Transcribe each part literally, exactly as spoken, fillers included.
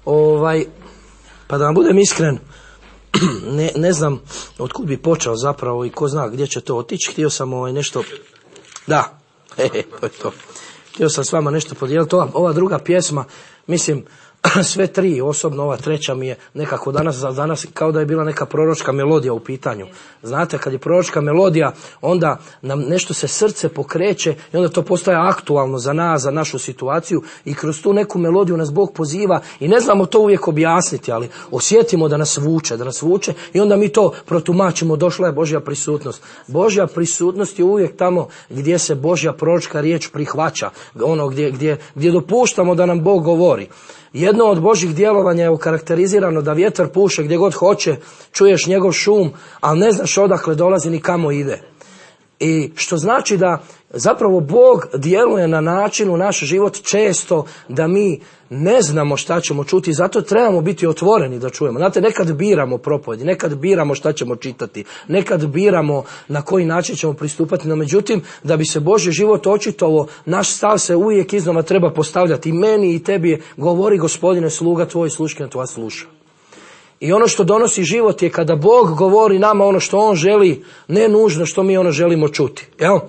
Ovaj, pa da vam budem iskren, ne, ne znam otkud bi počeo zapravo i ko zna gdje će to otići. Htio sam ovaj nešto, da, he, he, to je to. Htio sam s vama nešto podijeliti. Ova, ova druga pjesma, mislim, sve tri, osobno ova treća mi je nekako danas za danas kao da je bila neka proročka melodija u pitanju. Znate, kad je proročka melodija, onda nam nešto se srce pokreće i onda to postaje aktualno za nas, za našu situaciju i kroz tu neku melodiju nas Bog poziva i ne znamo to uvijek objasniti, ali osjetimo da nas vuče, da nas vuče i onda mi to protumačimo, došla je Božja prisutnost. Božja prisutnost je uvijek tamo gdje se Božja proročka riječ prihvaća, ono gdje, gdje, gdje dopuštamo da nam Bog govori. Jedno od Božjih djelovanja je okarakterizirano da vjetar puše gdje god hoće, čuješ njegov šum, ali ne znaš odakle dolazi ni kamo ide. I što znači da zapravo Bog djeluje na način u naš život često da mi ne znamo šta ćemo čuti, zato trebamo biti otvoreni da čujemo. Znate, nekad biramo propovjedi, nekad biramo šta ćemo čitati, nekad biramo na koji način ćemo pristupati, no međutim, da bi se Božji život očitovo, naš stav se uvijek iznova treba postavljati. I meni i tebi govori Gospodine, sluga tvoj, sluškina tvoja sluša. I ono što donosi život je kada Bog govori nama ono što On želi, ne nužno što mi ono želimo čuti. Jel?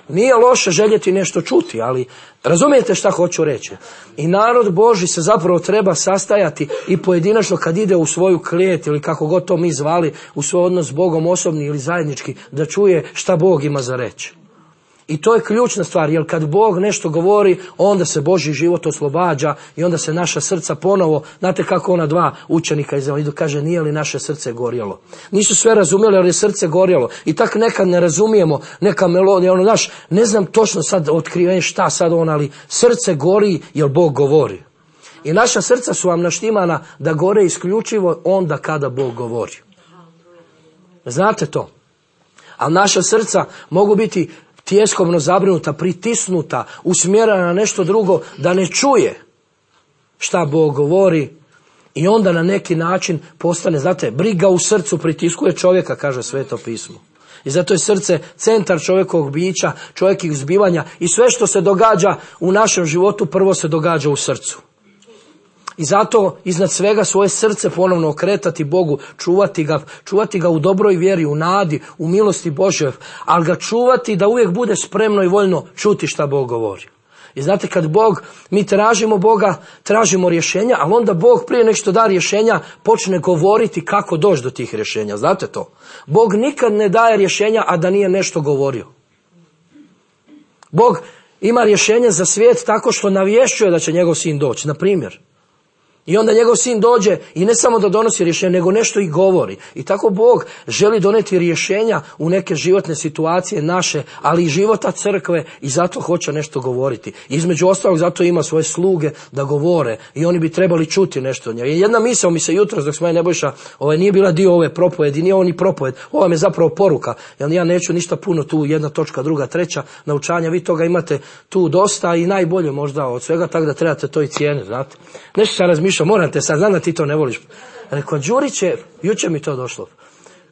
Nije loše željeti nešto čuti, ali razumijete šta hoću reći. I narod Božji se zapravo treba sastajati i pojedinačno kad ide u svoju klijet ili kako god to mi zvali, u svoj odnos s Bogom osobni ili zajednički, da čuje šta Bog ima za reći. I to je ključna stvar, jer kad Bog nešto govori, onda se Božji život oslobađa i onda se naša srca ponovo, znate kako ona dva učenika iz idu, kaže, nije li naše srce gorjelo? Nisu sve razumjeli, ali je srce gorjelo. I tak nekad ne razumijemo neka melodija, ono, znaš, ne znam točno sad otkrivenje šta sad on, ali srce gori jer Bog govori. I naša srca su vam naštimana da gore isključivo onda kada Bog govori. Znate to? A naša srca mogu biti tjeskovno zabrinuta, pritisnuta, usmjerena na nešto drugo, da ne čuje šta Bog govori i onda na neki način postane, znate, briga u srcu pritiskuje čovjeka, kaže Sveto pismo. I zato je srce centar čovjekovog bića, čovjekovih zbivanja i sve što se događa u našem životu prvo se događa u srcu. I zato iznad svega svoje srce ponovno okretati Bogu, čuvati ga, čuvati ga u dobroj vjeri, u nadi, u milosti Božjoj, ali ga čuvati da uvijek bude spremno i voljno čuti šta Bog govori. I znate, kad Bog, mi tražimo Boga, tražimo rješenja, ali onda Bog prije nek što da rješenja počne govoriti kako doći do tih rješenja. Znate to? Bog nikad ne daje rješenja, a da nije nešto govorio. Bog ima rješenje za svijet tako što navješćuje da će njegov sin doći, na primjer. I onda njegov sin dođe i ne samo da donosi rješenje, nego nešto i govori. I tako Bog želi doneti rješenja u neke životne situacije naše, ali i života crkve i zato hoće nešto govoriti. Između ostalog zato ima svoje sluge da govore i oni bi trebali čuti nešto od njega. Jedna misao mi se jutros dok smo je Nebojša, ovaj, nije bila dio ove propovedi, nije ovo ni propoved, ova mi je zapravo poruka. Jer ja neću ništa puno tu, jedna točka, druga, treća naučanja, vi toga imate tu dosta i najbolje možda od svega, tako da trebate to i cijeniti, znate. Nešto sam razmišljao, moram te sad, znam da ti to ne voliš. Rekao, Đuriće, jučer mi to došlo.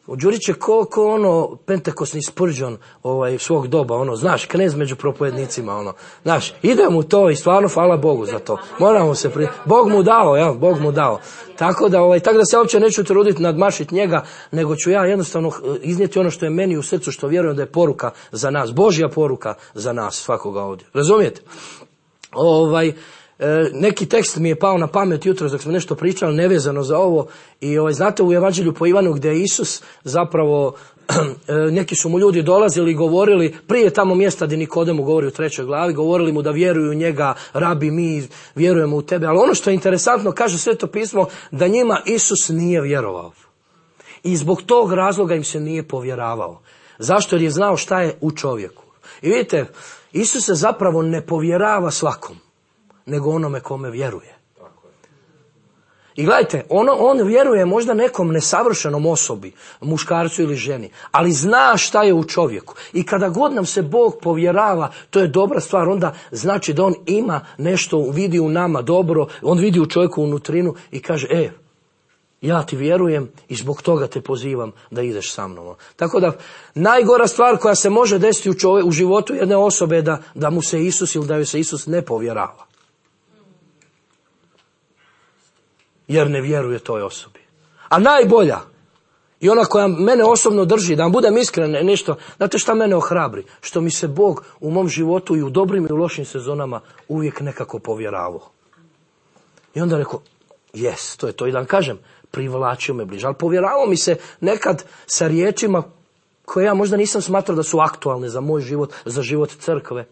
Đuriće ko, ko ono pentekosni Spurgeon ovaj, svog doba, ono, znaš, knez među propovednicima, ono, znaš, ide mu to i stvarno hvala Bogu za to. Moramo se pri... Bog mu dao, ja, Bog mu dao. Tako da, ovaj, tako da se uopće neću truditi nadmašiti njega, nego ću ja jednostavno iznijeti ono što je meni u srcu, što vjerujem da je poruka za nas, Božja poruka za nas, svakoga ovdje. Razumijete? Ovaj, neki tekst mi je pao na pamet jutros dok smo nešto pričali nevezano za ovo i ovaj, znate u Evanđelju po Ivanu gdje je Isus zapravo neki su mu ljudi dolazili i govorili prije tamo mjesta gdje Nikodemu govori u trećoj glavi, govorili mu da vjeruju u njega, rabi mi vjerujemo u tebe, ali ono što je interesantno kaže Sveto pismo da njima Isus nije vjerovao i zbog tog razloga im se nije povjeravao. Zašto? Jer je znao šta je u čovjeku. I vidite, Isus se zapravo ne povjerava svakom, nego onome kome vjeruje. I gledajte, ono, on vjeruje možda nekom nesavršenom osobi, muškarcu ili ženi, ali zna šta je u čovjeku. I kada god nam se Bog povjerava, to je dobra stvar, onda znači da on ima nešto, vidi u nama dobro, on vidi u čovjeku unutrinu i kaže, e, ja ti vjerujem i zbog toga te pozivam da ideš sa mnom. Tako da, najgora stvar koja se može desiti u, čovjek, u životu jedne osobe je da, da mu se Isus ili da joj se Isus ne povjerava. jer ne vjeruje toj osobi. A najbolja i ona koja mene osobno drži, da vam budem iskren nešto, znate šta mene ohrabri? Što mi se Bog u mom životu i u dobrim i u lošim sezonama uvijek nekako povjeravao. I onda rekao, jes, to je to. I da vam kažem, privlačio me bliže. Ali povjeravao mi se nekad sa riječima koje ja možda nisam smatrao da su aktualne za moj život, za život crkve.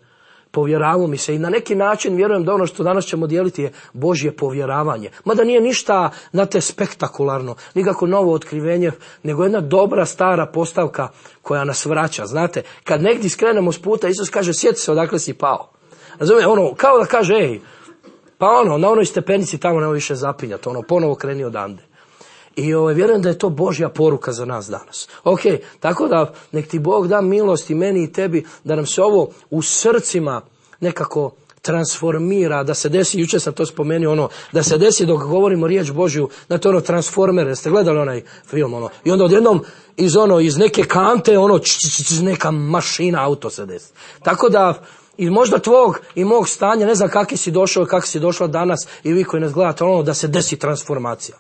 Povjeravao mi se i na neki način vjerujem da ono što danas ćemo dijeliti je Božje povjeravanje. Mada nije ništa, znate, spektakularno, nikako novo otkrivenje, nego jedna dobra stara postavka koja nas vraća. Znate, kad negdje skrenemo s puta, Isus kaže, sjeti se odakle si pao. Razumije, ono, kao da kaže, ej, pa ono, na onoj stepenici tamo nema više zapinjati, ono, ponovo kreni odande. I ovaj, vjerujem da je to Božja poruka za nas danas. Ok, tako da nek ti Bog da milost i meni i tebi, da nam se ovo u srcima nekako transformira, da se desi, jučer sam to spomenuo, ono, da se desi dok govorimo riječ Božju, znate ono Transformere, ste gledali onaj film, ono, i onda odjednom iz ono, iz neke kante, ono, č, č, č, neka mašina, auto se desi. Tako da, i možda tvog i mog stanja, ne znam kakvi si došao i kako si došla danas i vi koji nas gledate, ono, da se desi transformacija.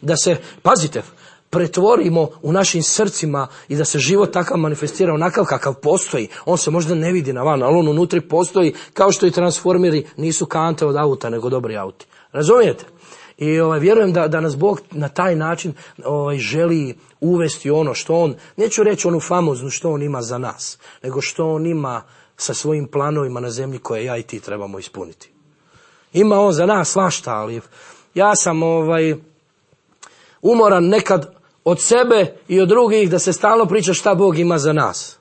Da se, pazite, pretvorimo u našim srcima i da se život takav manifestira onakav kakav postoji. On se možda ne vidi na van, ali on unutri postoji, kao što i transformeri nisu kante od auta, nego dobri auti. Razumijete? I ovaj, vjerujem da, da nas Bog na taj način ovaj, želi uvesti ono što on, neću reći onu famoznu što on ima za nas, nego što on ima sa svojim planovima na zemlji koje ja i ti trebamo ispuniti. Ima on za nas svašta, ali ja sam ovaj... umoran nekad od sebe i od drugih da se stalno priča šta Bog ima za nas.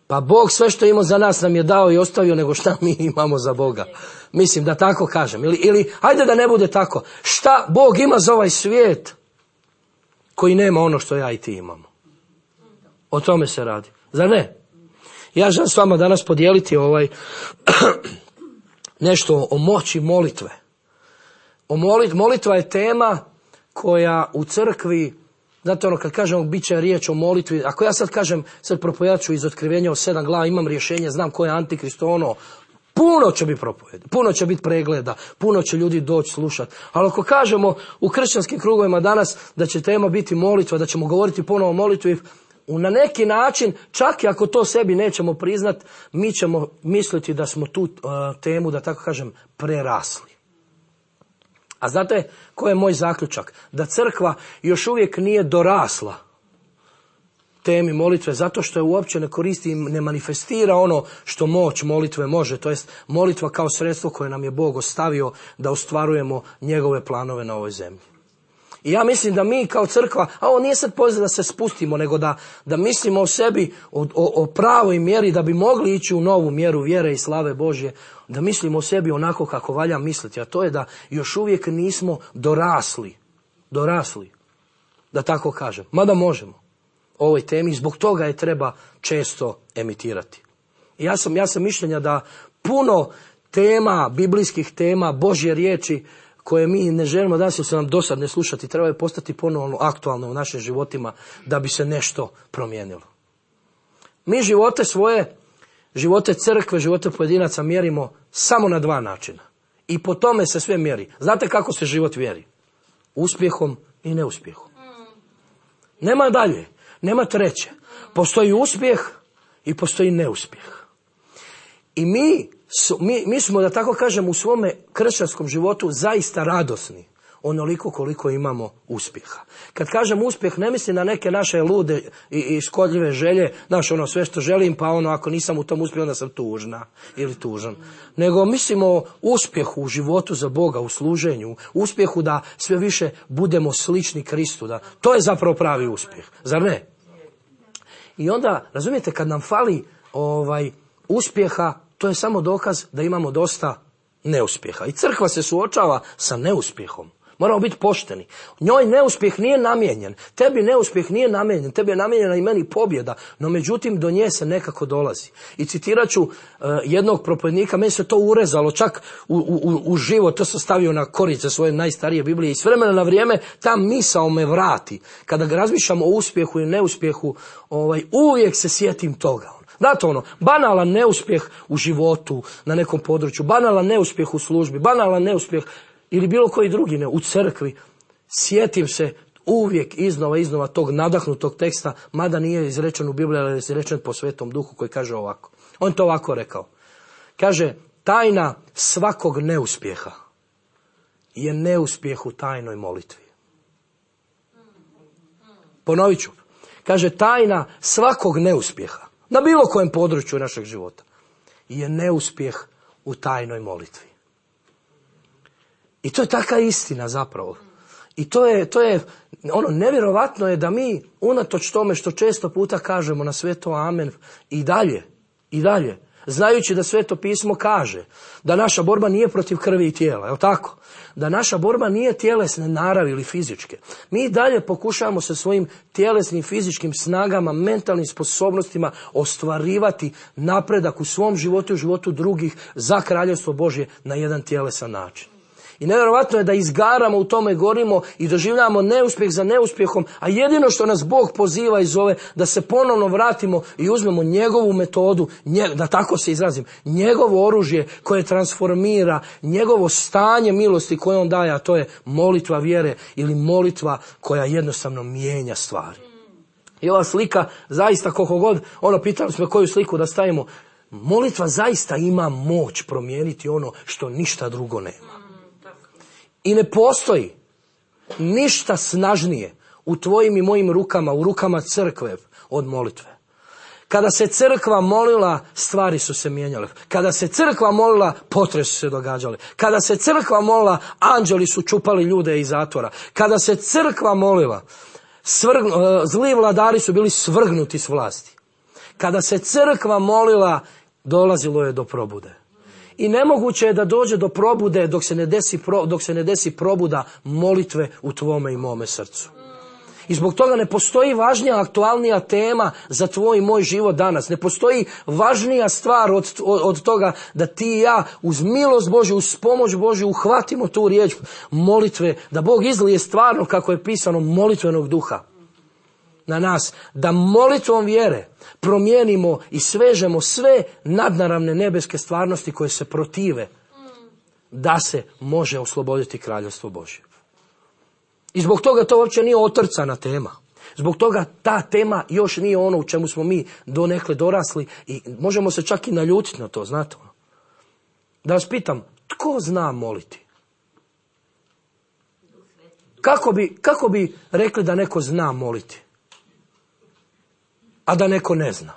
Pa Bog sve što ima za nas nam je dao i ostavio, nego šta mi imamo za Boga. Mislim da tako kažem. Ili, ili hajde da ne bude tako. Šta Bog ima za ovaj svijet koji nema ono što ja i ti imamo. O tome se radi. Zar ne? Ja želim s vama danas podijeliti ovaj nešto o moći molitve. O molit, molitva je tema koja u crkvi, znate ono kad kažemo bit će riječ o molitvi, ako ja sad kažem, sad propovijedat ću iz otkrivenja o sedam glava, imam rješenje, znam ko je antikrist, ono, puno će biti propovjeda, puno će biti pregleda, puno će ljudi doći slušati. Ali ako kažemo u kršćanskim krugovima danas da će tema biti molitva, da ćemo govoriti ponovo o molitvi, na neki način, čak i ako to sebi nećemo priznat, mi ćemo misliti da smo tu uh, temu, da tako kažem, prerasli. A znate koji je moj zaključak? Da crkva još uvijek nije dorasla temi molitve, zato što je uopće ne koristi i ne manifestira ono što moć molitve može. To jest molitva kao sredstvo koje nam je Bog ostavio da ostvarujemo njegove planove na ovoj zemlji. I ja mislim da mi kao crkva, a ovo nije sad poziv da se spustimo, nego da, da mislimo o sebi, o, o, o pravoj mjeri, da bi mogli ići u novu mjeru vjere i slave Božje, da mislimo o sebi onako kako valja misliti, a to je da još uvijek nismo dorasli, dorasli, da tako kažem, mada možemo o ovoj temi, zbog toga je treba često emitirati. I ja sam, ja sam mišljenja da puno tema, biblijskih tema, Božje riječi, koje mi ne želimo danas ili se nam dosad ne slušati, trebaju postati ponovno aktualne u našim životima da bi se nešto promijenilo. Mi živote svoje, živote crkve, živote pojedinaca mjerimo samo na dva načina. I po tome se sve mjeri. Znate kako se život mjeri? Uspjehom i neuspjehom. Nema dalje, nema treće. Postoji uspjeh i postoji neuspjeh. I mi Mi, mi smo, da tako kažem, u svome kršćanskom životu zaista radosni, onoliko koliko imamo uspjeha. Kad kažem uspjeh, ne mislim na neke naše lude i, i škodljive želje, znaš, ono, sve što želim, pa ono, ako nisam u tom uspjehu, onda sam tužna ili tužan. Nego mislimo o uspjehu u životu za Boga, u služenju, uspjehu da sve više budemo slični Kristu. Da, to je zapravo pravi uspjeh, zar ne? I onda, razumijete, kad nam fali ovaj uspjeha, to je samo dokaz da imamo dosta neuspjeha. I crkva se suočava sa neuspjehom. Moramo biti pošteni. Njoj neuspjeh nije namijenjen. Tebi neuspjeh nije namijenjen. Tebi je namijenjena i meni pobjeda. No međutim, do nje se nekako dolazi. I citirat ću uh, jednog propovjednika. Meni se to urezalo čak u, u, u život. To sam stavio na korice svoje najstarije Biblije. I s vremena na vrijeme ta misao me vrati. Kada razmišljamo o uspjehu i neuspjehu, ovaj, uvijek se sjetim toga. Znate ono, banalan neuspjeh u životu na nekom području, banalan neuspjeh u službi, banalan neuspjeh ili bilo koji drugi ne, u crkvi. sjetim se uvijek iznova, iznova tog nadahnutog teksta, mada nije izrečen u Bibliji, ali je izrečen po Svetom Duhu koji kaže ovako. On to ovako rekao. Kaže, tajna svakog neuspjeha je neuspjeh u tajnoj molitvi. Ponovit ću. Kaže, tajna svakog neuspjeha, na bilo kojem području našeg života, je neuspjeh u tajnoj molitvi. I to je taka istina zapravo. I to je, to je, ono, nevjerovatno je da mi, unatoč tome što često puta kažemo na sve to amen, i dalje, i dalje, znajući da Sveto pismo kaže da naša borba nije protiv krvi i tijela, je li tako? Da naša borba nije tjelesne naravi ili fizičke. Mi dalje pokušavamo sa svojim tjelesnim, fizičkim snagama, mentalnim sposobnostima ostvarivati napredak u svom životu i u životu drugih za kraljevstvo Božje na jedan tjelesan način. I nevjerovatno je da izgaramo u tome, gorimo i doživljavamo neuspjeh za neuspjehom, a jedino što nas Bog poziva i zove da se ponovno vratimo i uzmemo njegovu metodu, nje, da tako se izrazim, njegovo oružje koje transformira, njegovo stanje milosti koje on daje, a to je molitva vjere ili molitva koja jednostavno mijenja stvari. I ova slika, zaista koliko god, ono, pitali smo koju sliku da stavimo, molitva zaista ima moć promijeniti ono što ništa drugo nema. I ne postoji ništa snažnije u tvojim i mojim rukama, u rukama crkve od molitve. Kada se crkva molila, stvari su se mijenjale. Kada se crkva molila, potresi su se događali. Kada se crkva molila, anđeli su čupali ljude iz zatvora. Kada se crkva molila, svrg, zli vladari su bili svrgnuti s vlasti. Kada se crkva molila, dolazilo je do probude. I nemoguće je da dođe do probude dok se ne desi, pro, dok se ne desi probuda molitve u tvome i mome srcu. I zbog toga ne postoji važnija, aktualnija tema za tvoj i moj život danas. Ne postoji važnija stvar od, od, od toga da ti i ja uz milost Božju, uz pomoć Božju uhvatimo tu riječ molitve, da Bog izlije stvarno, kako je pisano, molitvenog duha na nas, da molitvom vjere promijenimo i svežemo sve nadnaravne nebeske stvarnosti koje se protive da se može osloboditi kraljevstvo Božje. I zbog toga to uopće nije otrcana tema. Zbog toga ta tema još nije ono u čemu smo mi donekle dorasli i možemo se čak i naljutiti na to, znate. Da vas pitam, tko zna moliti? Kako bi, kako bi rekli da neko zna moliti? A da neko ne zna.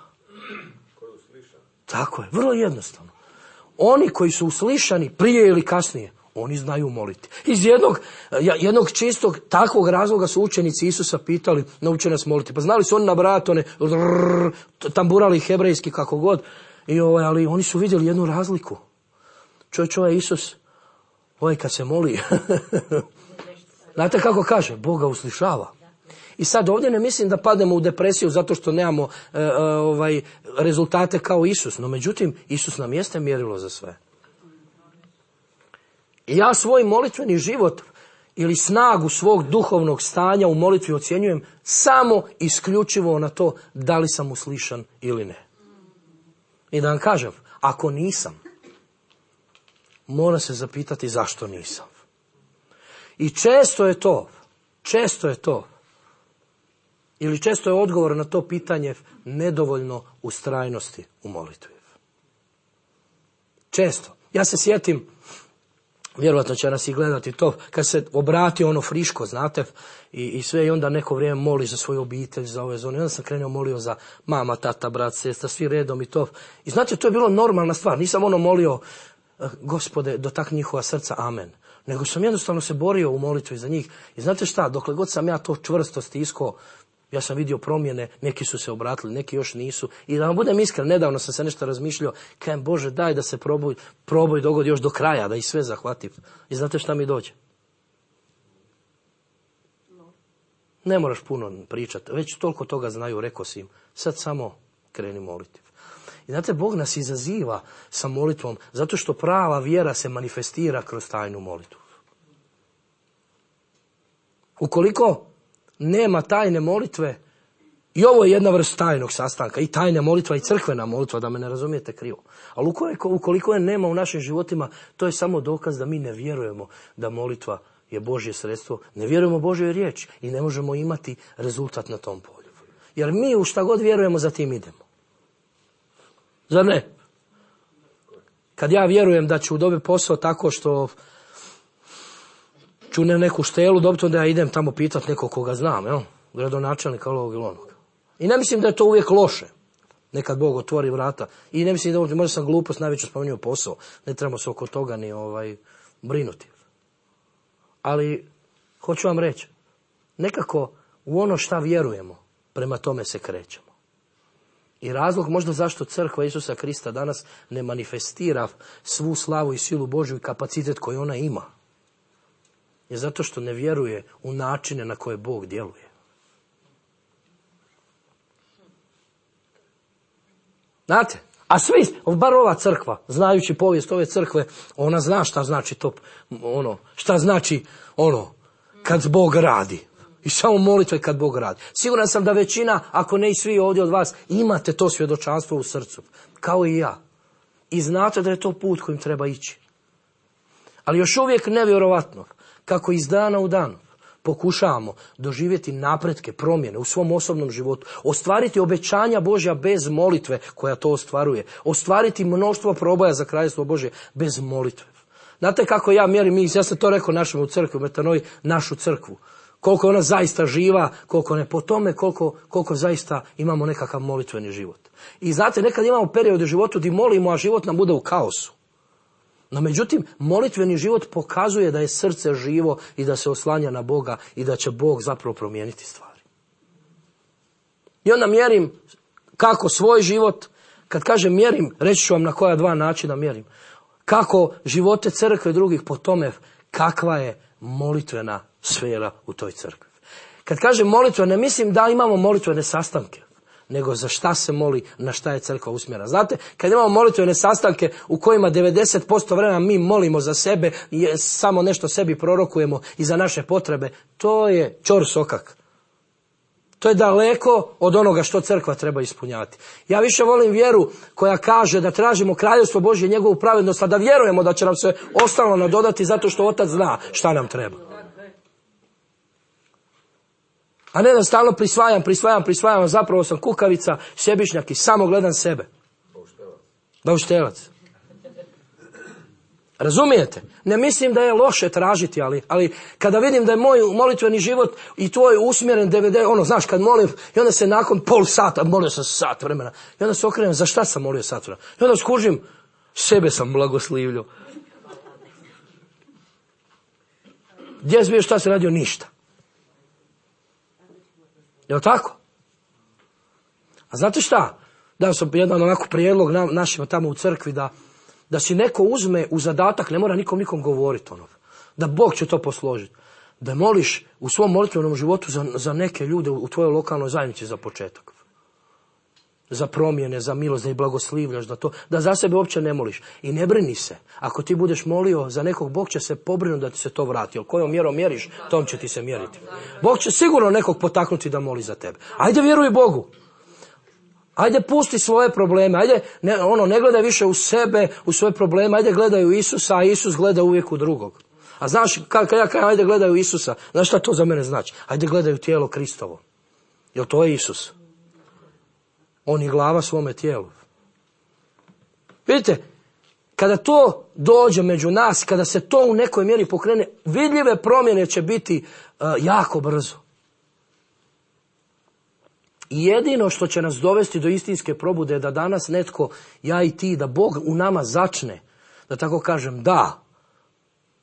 Tako je, vrlo jednostavno. Oni koji su uslišani prije ili kasnije, oni znaju moliti. Iz jednog, jednog čistog takvog razloga su učenici Isusa pitali, nauče nas moliti. Pa znali su oni nabrajati one, tamburali hebrejski kako god, i ovaj, ali oni su vidjeli jednu razliku. Čovječ, ovaj Isus, ovaj kad se moli, znate kako kaže, Boga uslišava. I sad ovdje ne mislim da padnemo u depresiju zato što nemamo e, e, ovaj, rezultate kao Isus. No međutim, Isus nam jeste mjerilo za sve. I ja svoj molitveni život ili snagu svog duhovnog stanja u molitvi ocjenjujem samo isključivo na to da li sam uslišan ili ne. I da vam kažem, ako nisam, mora se zapitati zašto nisam. I često je to, često je to, ili često je odgovor na to pitanje nedovoljno ustrajnosti u molitvi. Često. Ja se sjetim, vjerojatno će nas i gledati to, kad se obrati ono friško, znate, i, i sve i onda neko vrijeme moli za svoju obitelj, za ove zone. I onda sam krenuo molio za mama, tata, brat, sestra, svi redom i to. I znate, to je bilo normalna stvar. Nisam ono molio, Gospode, dotakni njihova srca, amen. Nego sam jednostavno se borio u molitvi za njih. I znate šta, dokle god sam ja to čvrsto stiskao, ja sam vidio promjene, neki su se obratili, neki još nisu. I da vam budem iskren, nedavno sam se nešto razmišljao, kajem, Bože, daj da se proboj, proboj dogodi još do kraja, da ih sve zahvatim. I znate šta mi dođe? Ne moraš puno pričati, već toliko toga znaju, rekao si im, sad samo kreni moliti. I znate, Bog nas izaziva sa molitvom, zato što prava vjera se manifestira kroz tajnu molitvu. Ukoliko nema tajne molitve, i ovo je jedna vrsta tajnog sastanka, i tajna molitva i crkvena molitva, da me ne razumijete krivo. Ali ukoliko, ukoliko je nema u našim životima, to je samo dokaz da mi ne vjerujemo da molitva je Božje sredstvo. Ne vjerujemo Božjoj riječi i ne možemo imati rezultat na tom polju. Jer mi u šta god vjerujemo, za tim idemo. Zar ne? Kad ja vjerujem da ću dobiti posao tako što ću ne neku štelu dobiti, onda ja idem tamo pitati nekog koga znam, jel? Gradonačelnika ovog ili onog. I ne mislim da je to uvijek loše. Nekad Bog otvori vrata. I ne mislim da možda sam glupost najveću spomenuo posao. Ne trebamo se oko toga ni ovaj, brinuti. Ali, hoću vam reći, nekako u ono šta vjerujemo, prema tome se krećemo. I razlog možda zašto crkva Isusa Krista danas ne manifestira svu slavu i silu Božju i kapacitet koji ona ima, je zato što ne vjeruje u načine na koje Bog djeluje. Znate, a svi, bar ova crkva, znajući povijest ove crkve, ona zna šta znači to, ono, šta znači ono, kad Bog radi. I samo molitve kad Bog radi. Siguran sam da većina, ako ne i svi ovdje od vas, imate to svjedočanstvo u srcu. Kao i ja. I znate da je to put kojim treba ići. Ali još uvijek nevjerovatno kako iz dana u dan pokušavamo doživjeti napretke, promjene u svom osobnom životu, ostvariti obećanja Božja bez molitve koja to ostvaruje, ostvariti mnoštvo proboja za kraljevstvo Božje bez molitve. Znate kako ja mjerim, ja sam to rekao našem u crkvi, u Metanoji, našu crkvu. Koliko je ona zaista živa, koliko ne po tome, koliko, koliko zaista imamo nekakav molitveni život. I znate, nekad imamo period u životu gdje molimo, a život nam bude u kaosu. No međutim, molitveni život pokazuje da je srce živo i da se oslanja na Boga i da će Bog zapravo promijeniti stvari. I onda mjerim kako svoj život, kad kažem mjerim, reći ću vam na koja dva načina mjerim. Kako živote crkve drugih po tome kakva je molitvena sfera u toj crkvi. Kad kažem molitva, ne mislim da imamo molitvene sastanke, nego za šta se moli, na šta je crkva usmjerena. Znate, kad imamo molitvene sastanke u kojima devedeset posto vremena mi molimo za sebe i samo nešto sebi prorokujemo i za naše potrebe, to je čor sokak. To je daleko od onoga što crkva treba ispunjavati. Ja više volim vjeru koja kaže da tražimo kraljevstvo Božje i njegovu pravednost, a da vjerujemo da će nam se ostalo nadodati zato što Otac zna šta nam treba. A ne da stalno prisvajam, prisvajam, prisvajam, zapravo sam kukavica, sebišnjak i samo gledam sebe. Bauštelac. Razumijete? Ne mislim da je loše tražiti, ali, ali kada vidim da je moj molitveni život i tvoj usmjeren D V D, ono, znaš, kad molim, i onda se nakon pol sata, molio sam sat vremena, i onda se okrenem, za šta sam molio sat vremena? I onda skužim, sebe sam blagoslivljio. Gdje si bio, šta se radio? Ništa. Jel' tako? A znate šta? Dao sam jedan onako prijedlog na, našima tamo u crkvi da, da si neko uzme u zadatak, ne mora nikom nikom govoriti ono, da Bog će to posložiti. Da moliš u svom molitvenom životu za, za neke ljude u tvojoj lokalnoj zajednici za početak. Za promjene, za milost, da ih blagoslivljaš, da, to, da za sebe uopće ne moliš. I ne brini se. Ako ti budeš molio za nekog, Bog će se pobrinuti da ti se to vrati. Jer kojom mjerom mjeriš, tom će ti se mjeriti. Bog će sigurno nekog potaknuti da moli za tebe. Ajde vjeruj Bogu. Ajde pusti svoje probleme. Ajde, ne, ono, ne gledaj više u sebe, u svoje probleme. Ajde gledaj u Isusa, a Isus gleda uvijek u drugog. A znaš, kad, kad ja kažem ajde gledaj u Isusa, znaš šta to za mene znači? Ajde gledaj u tijelo Kristovo. Jer to je Isus. On je glava svome tijelu. Vidite, kada to dođe među nas, kada se to u nekoj mjeri pokrene, vidljive promjene će biti uh, jako brzo. I jedino što će nas dovesti do istinske probude je da danas netko, ja i ti, da Bog u nama začne, da tako kažem, da,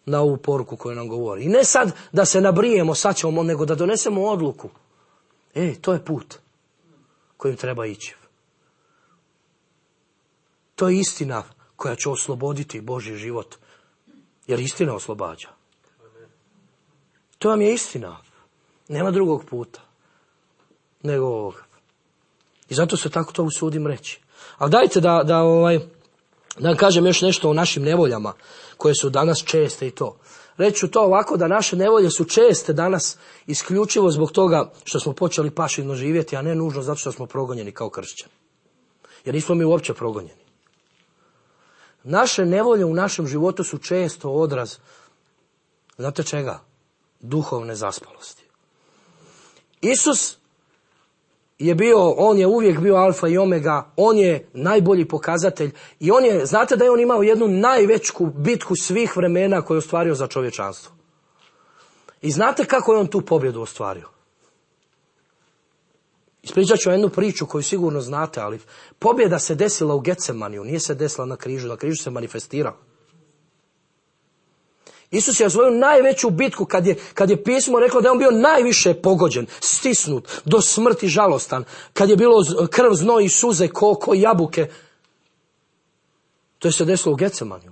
na ovu poruku koju nam govori. I ne sad da se nabrijemo, sad ćemo, nego da donesemo odluku. E, to je put kojim treba ići. To je istina koja će osloboditi Božji život. Jer istina oslobađa. To vam je istina. Nema drugog puta nego ovoga. I zato se tako to usudim reći. Ali dajte da, da, ovaj, da vam kažem još nešto o našim nevoljama koje su danas česte i to. Reći ću to ovako da naše nevolje su česte danas isključivo zbog toga što smo počeli pašidno živjeti, a ne nužno zato što smo progonjeni kao kršćani. Jer nismo mi uopće progonjeni. Naše nevolje u našem životu su često odraz, znate čega? duhovne zaspalosti. Isus je bio, on je uvijek bio alfa i omega, on je najbolji pokazatelj i on je, znate da je on imao jednu najveću bitku svih vremena koju je ostvario za čovječanstvo. I znate kako je on tu pobjedu ostvario? Ispričat ću jednu priču koju sigurno znate, ali pobjeda se desila u Getsemaniju, nije se desila na križu, na križu se manifestirala. Isus je svoju najveću bitku, kad je, kad je pismo reklo da je on bio najviše pogođen, stisnut, do smrti žalostan, kad je bilo krv, znoj i suze ko, ko jabuke, to je se desilo u Getsemaniju.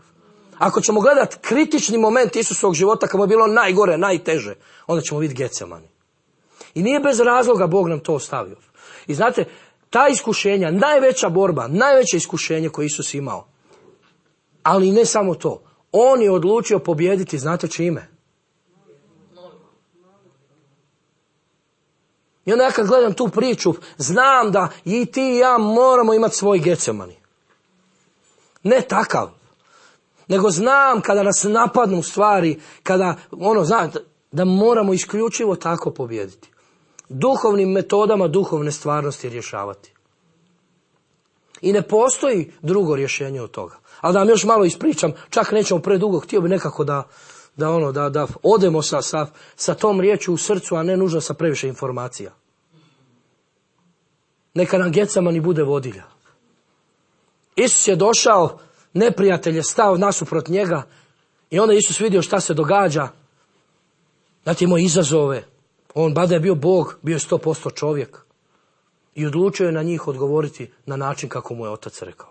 Ako ćemo gledati kritični moment Isusovog života, kad mu je bilo najgore, najteže, onda ćemo vidjeti Getsemani. I nije bez razloga Bog nam to ostavio. I znate, ta iskušenja, najveća borba, najveće iskušenje koje Isus imao, ali ne samo to, on je odlučio pobijediti, znate čime? I onda ja kad gledam tu priču, znam da i ti i ja moramo imati svoj Getsemani. Ne takav, nego znam kada nas napadnu stvari, kada, ono, znate, da moramo isključivo tako pobijediti. Duhovnim metodama, duhovne stvarnosti rješavati. I ne postoji drugo rješenje od toga. Ali da vam još malo ispričam, čak nećemo predugo, htio bi nekako da, da, ono, da, da odemo sa, sa, sa tom riječu u srcu, a ne nužno sa previše informacija. Neka nam Getsemani bude vodilja. Isus je došao, neprijatelj je stao nasuprot njega i onda Isus vidio šta se događa. Znate, imao izazove. On, bada je bio Bog, bio je sto posto čovjek. I odlučio je na njih odgovoriti na način kako mu je Otac rekao.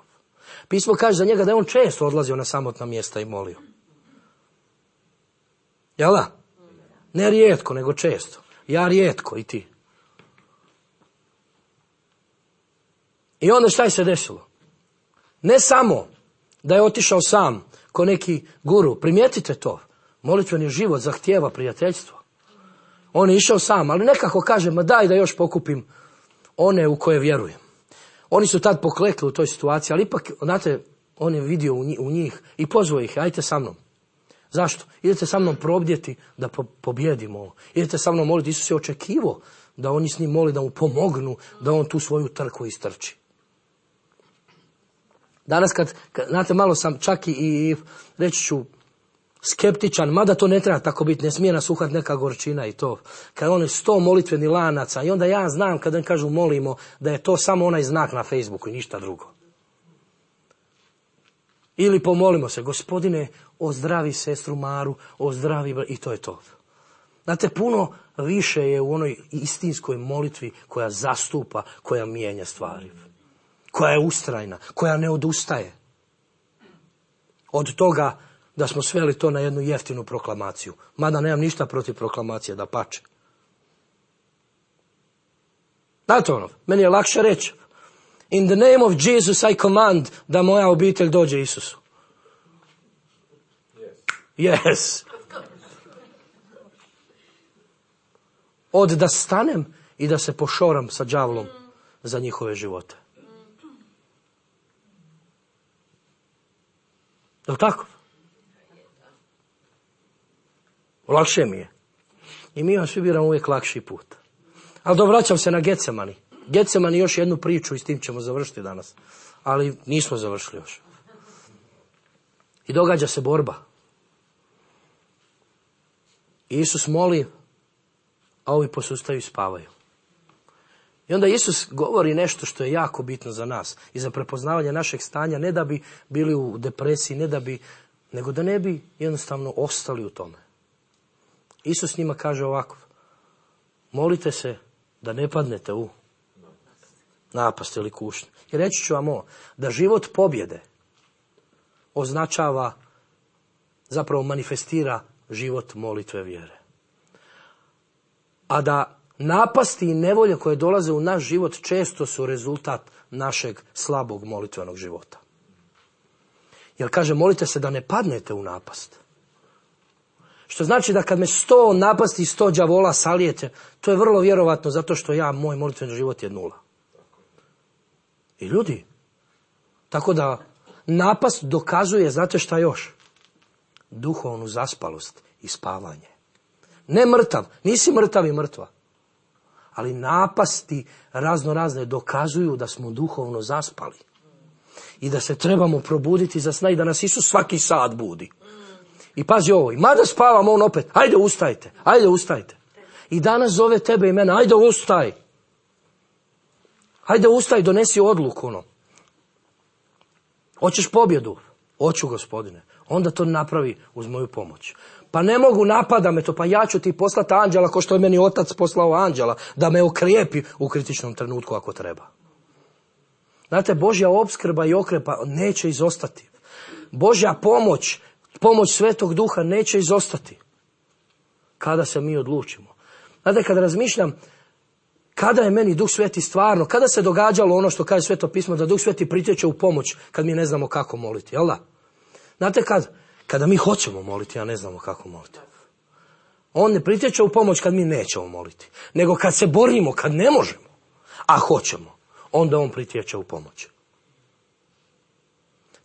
Pismo kaže za njega da je on često odlazio na samotna mjesta i molio. Jel da? Ne rijetko, nego često. Ja rijetko i ti. I onda šta je se desilo? Ne samo da je otišao sam ko neki guru. Primijetite to. Molitveni život zahtijeva prijateljstvo. On je išao sam, ali nekako kaže, ma daj da još pokupim one u koje vjerujem. Oni su tad poklekli u toj situaciji, ali ipak, znate, on je vidio u njih i pozvao ih, ajte sa mnom. Zašto? Idete sa mnom probdjeti da po- pobjedimo. Idete sa mnom moliti. Isus je očekivao da oni s njim moli, da mu pomognu, da on tu svoju trku istrči. Danas kad, kad znate, malo sam čak i, i reći ću, skeptičan, mada to ne treba tako biti, ne smije nas uhati neka gorčina i to. Kad on je sto molitveni lanaca i onda ja znam kad im kažu molimo da je to samo onaj znak na Facebooku i ništa drugo. Ili pomolimo se, Gospodine, ozdravi sestru Maru, ozdravi, i to je to. Znate, puno više je u onoj istinskoj molitvi koja zastupa, koja mijenja stvari. Koja je ustrajna, koja ne odustaje od toga da smo sveli to na jednu jeftinu proklamaciju. Mada nemam ništa protiv proklamacije, da pače. Znate ono, meni je lakše reći, in the name of Jesus I command, da moja obitelj dođe Isusu. Yes. Yes. Od da stanem i da se pošoram sa đavlom za njihove živote. Je li tako? Lakše mi je. I mi vam svi biramo uvijek lakši put. Ali dovraćam se na Getsemani. Getsemani još jednu priču i s tim ćemo završiti danas. Ali nismo završili još. I događa se borba. I Isus moli, a ovi posustaju i spavaju. I onda Isus govori nešto što je jako bitno za nas i za prepoznavanje našeg stanja, ne da bi bili u depresiji, ne da bi, nego da ne bi jednostavno ostali u tome. Isus njima kaže ovako, molite se da ne padnete u napast ili kušnju. I reći ću vam ovo, da život pobjede označava, zapravo manifestira život molitve vjere. A da napasti i nevolje koje dolaze u naš život često su rezultat našeg slabog molitvenog života. Jer kaže, molite se da ne padnete u napast. Što znači da kad me sto napasti i sto đavola salijete, to je vrlo vjerovatno zato što ja, moj molitveni život je nula. I ljudi, tako da napast dokazuje, znate šta još? Duhovnu zaspalost i spavanje. Ne mrtav, nisi mrtav i mrtva. Ali napasti razno razne dokazuju da smo duhovno zaspali. I da se trebamo probuditi za sna i da nas Isus svaki sat budi. I pazi ovo, i mada spavamo, on opet, ajde ustajte, ajde ustajte. I danas zove tebe i mene, ajde ustaj. Ajde ustaj, donesi odluku, ono. Hoćeš pobjedu? Hoću, Gospodine. Onda to napravi uz moju pomoć. Pa ne mogu, napada me to, pa ja ću ti poslati anđela, ko što je meni otac poslao anđela, da me okrijepi u kritičnom trenutku ako treba. Znate, Božja opskrba i okrepa neće izostati. Božja pomoć, pomoć Svetog Duha neće izostati. Kada se mi odlučimo. Znate, kada razmišljam, kada je meni Duh Sveti stvarno, kada se događalo ono što kaže Sveto pismo, da Duh Sveti pritječe u pomoć kad mi ne znamo kako moliti, jel da? Znate kad? Kada mi hoćemo moliti, a ne znamo kako moliti. On ne pritječe u pomoć kad mi nećemo moliti, nego kad se borimo, kad ne možemo, a hoćemo, onda on pritječe u pomoć.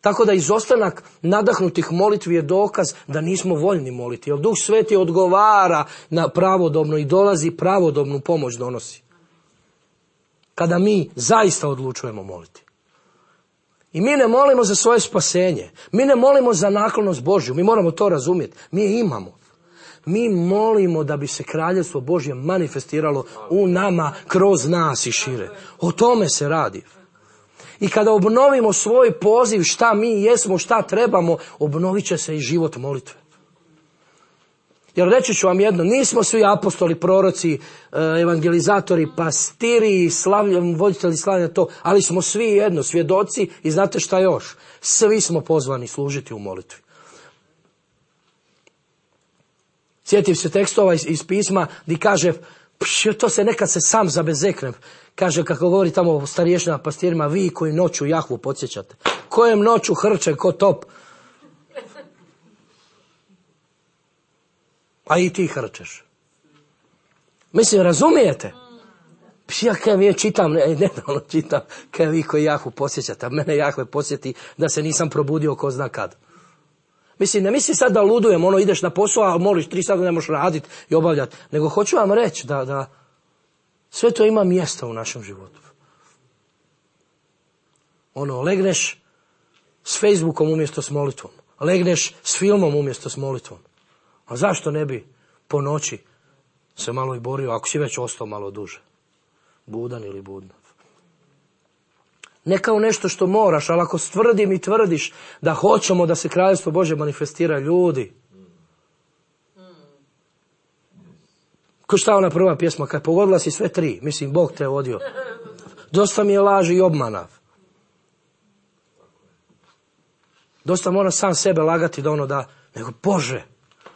Tako da izostanak nadahnutih molitvi je dokaz da nismo voljni moliti, jer Duh Sveti odgovara na pravodobno i dolazi pravodobnu pomoć donosi. Kada mi zaista odlučujemo moliti. I mi ne molimo za svoje spasenje. Mi ne molimo za naklonost Božju. Mi moramo to razumjeti. Mi je imamo. Mi molimo da bi se kraljevstvo Božje manifestiralo u nama, kroz nas i šire. O tome se radi. I kada obnovimo svoj poziv, šta mi jesmo, šta trebamo, obnovit će se i život molitve. Jer reći ću vam jedno, nismo svi apostoli, proroci, evangelizatori, pastiri, slavljen, voditelji slavljenja to, ali smo svi jedno, svjedoci i znate šta još? Svi smo pozvani služiti u molitvi. Sjetim se tekstova iz, iz pisma gdje kaže, pš, to se nekad se sam zabezeknem. Kaže, kako govori tamo o starješnjama pastirima, vi koji noću Jahvu podsjećate. Kojem noću hrče ko top? A i ti hrčeš. Mislim, razumijete? Ja kaj mi je čitam, ne, nedavno čitam, kaj vi koji Jahvu posjećate, a mene Jahve posjeti da se nisam probudio ko zna kad. Mislim, ne misli sad da ludujem, ono ideš na posao, a moliš tri sata ne možeš raditi i obavljati, nego hoću vam reći da, da sve to ima mjesta u našem životu. Ono, legneš s Facebookom umjesto s molitvom, legneš s filmom umjesto s molitvom. A zašto ne bi po noći se malo i borio, ako si već ostao malo duže? Budan ili budna. Ne kao nešto što moraš, ali ako stvrdim i tvrdiš da hoćemo da se kraljevstvo Božje manifestira, ljudi. Ko šta ona prva pjesma, kad pogodila si sve tri, mislim, Bog te vodio. Dosta mi je laži i obmana. Dosta mora sam sebe lagati da ono da, nego Bože,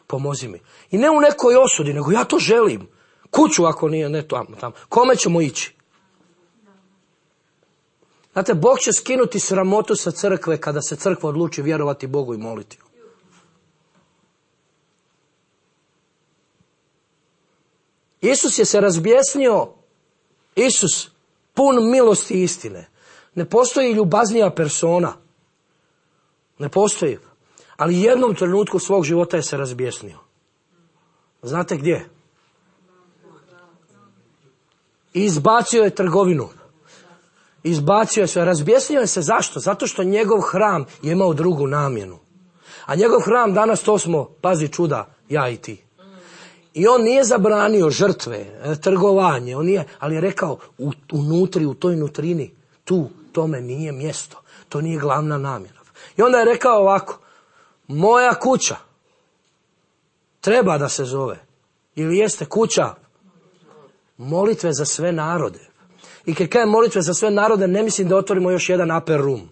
pomozi mi. I ne u nekoj osudi, nego ja to želim. Kuću ako nije, ne tamo, tamo. Kome ćemo ići? Znate, Bog će skinuti sramotu sa crkve kada se crkva odluči vjerovati Bogu i moliti. Isus je se razbjesnio, Isus pun milosti i istine. Ne postoji ljubaznija persona. Ne postoji. Ali jednom trenutku svog života je se razbjesnio. Znate gdje? Izbacio je trgovinu. Izbacio je sve. Razbjesnio je se zašto? Zato što njegov hram je imao drugu namjenu. A njegov hram danas, to smo, pazi čuda, ja i ti. I on nije zabranio žrtve, trgovanje, on nije, ali je rekao u, unutri, u toj nutrini, tu, tome nije mjesto. To nije glavna namjena. I onda je rekao ovako, moja kuća treba da se zove, ili jeste kuća molitve za sve narode. I kad kažem molitve za sve narode, ne mislim da otvorimo još jedan upper room.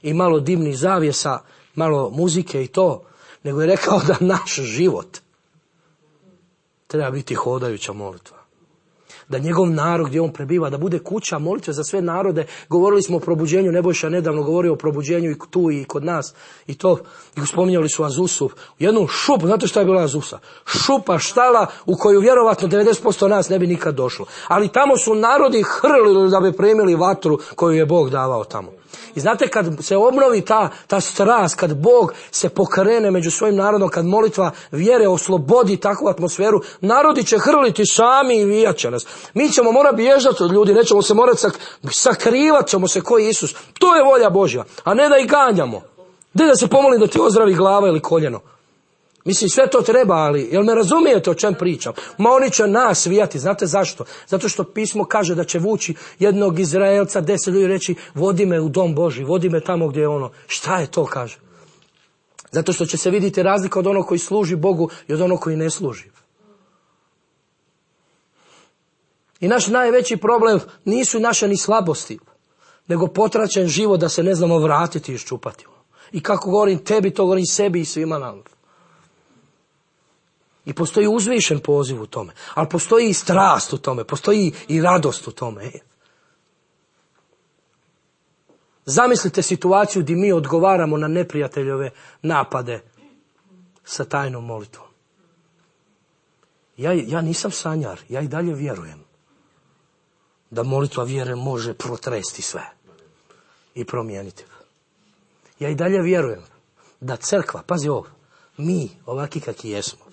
I malo dimnih zavjesa, malo muzike i to, nego je rekao da naš život treba biti hodajuća molitva. Da njegov narod gdje on prebiva, da bude kuća molitve za sve narode. Govorili smo o probuđenju, Nebojša nedavno govorio o probuđenju i tu i kod nas. I to, i spominjali su Azusu. Jednu šupu, znate šta je bila Azusa? Šupa, štala u koju vjerovatno devedeset posto nas ne bi nikad došlo. Ali tamo su narodi hrlili da bi primili vatru koju je Bog davao tamo. I znate, kad se obnovi ta, ta strast, kad Bog se pokrene među svojim narodom, kad molitva vjere oslobodi takvu atmosferu, narodi će hrliti sami i vijat će nas. Mi ćemo morati bježati od ljudi, nećemo se morati sak, sakrivat ćemo se ko Isus. To je volja Božja, a ne da ih ganjamo. Ne da se pomolim da ti ozdravi glava ili koljeno. Mislim, sve to treba, ali, jel me razumijete o čem pričam? Ma oni će nas vijati, znate zašto? Zato što pismo kaže da će vući jednog Izraelca, deset ljudi reći, vodi me u dom Božji, vodi me tamo gdje je ono. Šta je to, kaže? Zato što će se vidjeti razlika od onog koji služi Bogu i od onog koji ne služi. I naš najveći problem nisu naše ni slabosti, nego potračen život da se ne znamo vratiti i iščupati. I kako govorim tebi, to govorim sebi i svima nam. I postoji uzvišen poziv u tome, ali postoji i strast u tome, postoji i radost u tome. Zamislite situaciju gdje mi odgovaramo na neprijateljove napade sa tajnom molitvom. Ja, ja nisam sanjar, ja i dalje vjerujem da molitva vjere može protresti sve i promijeniti. Ja i dalje vjerujem da crkva, pazi ovo, mi ovaki kakvi jesmo,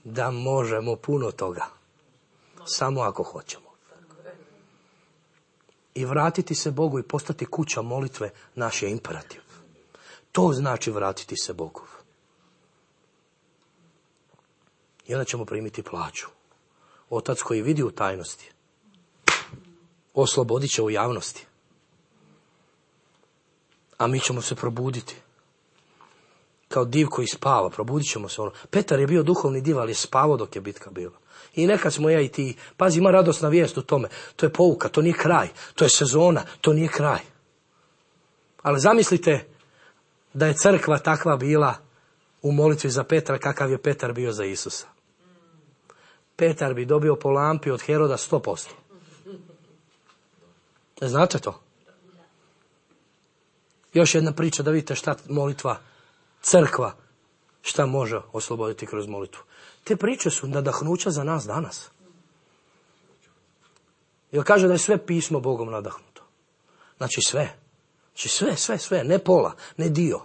da možemo puno toga, samo ako hoćemo. I vratiti se Bogu i postati kuća molitve naš je imperativ. To znači vratiti se Bogu. I onda ćemo primiti plaću. Otac koji vidi u tajnosti, oslobodit će u javnosti. A mi ćemo se probuditi. Kao div koji spava, probudit ćemo se. Ono. Petar je bio duhovni div, ali je spavao dok je bitka bila. I nekad smo ja i ti, pazi, ima radosna vijest u tome. To je pouka, to nije kraj, to je sezona, to nije kraj. Ali zamislite da je crkva takva bila u molitvi za Petra, kakav je Petar bio za Isusa. Petar bi dobio po lampi od Heroda sto posto. Znate to? Još jedna priča da vidite šta molitva, crkva, šta može osloboditi kroz molitvu. Te priče su nadahnuća za nas danas. Jer kaže da je sve pismo Bogom nadahnuto. Znači sve. Znači sve, sve, sve. Ne pola, ne dio.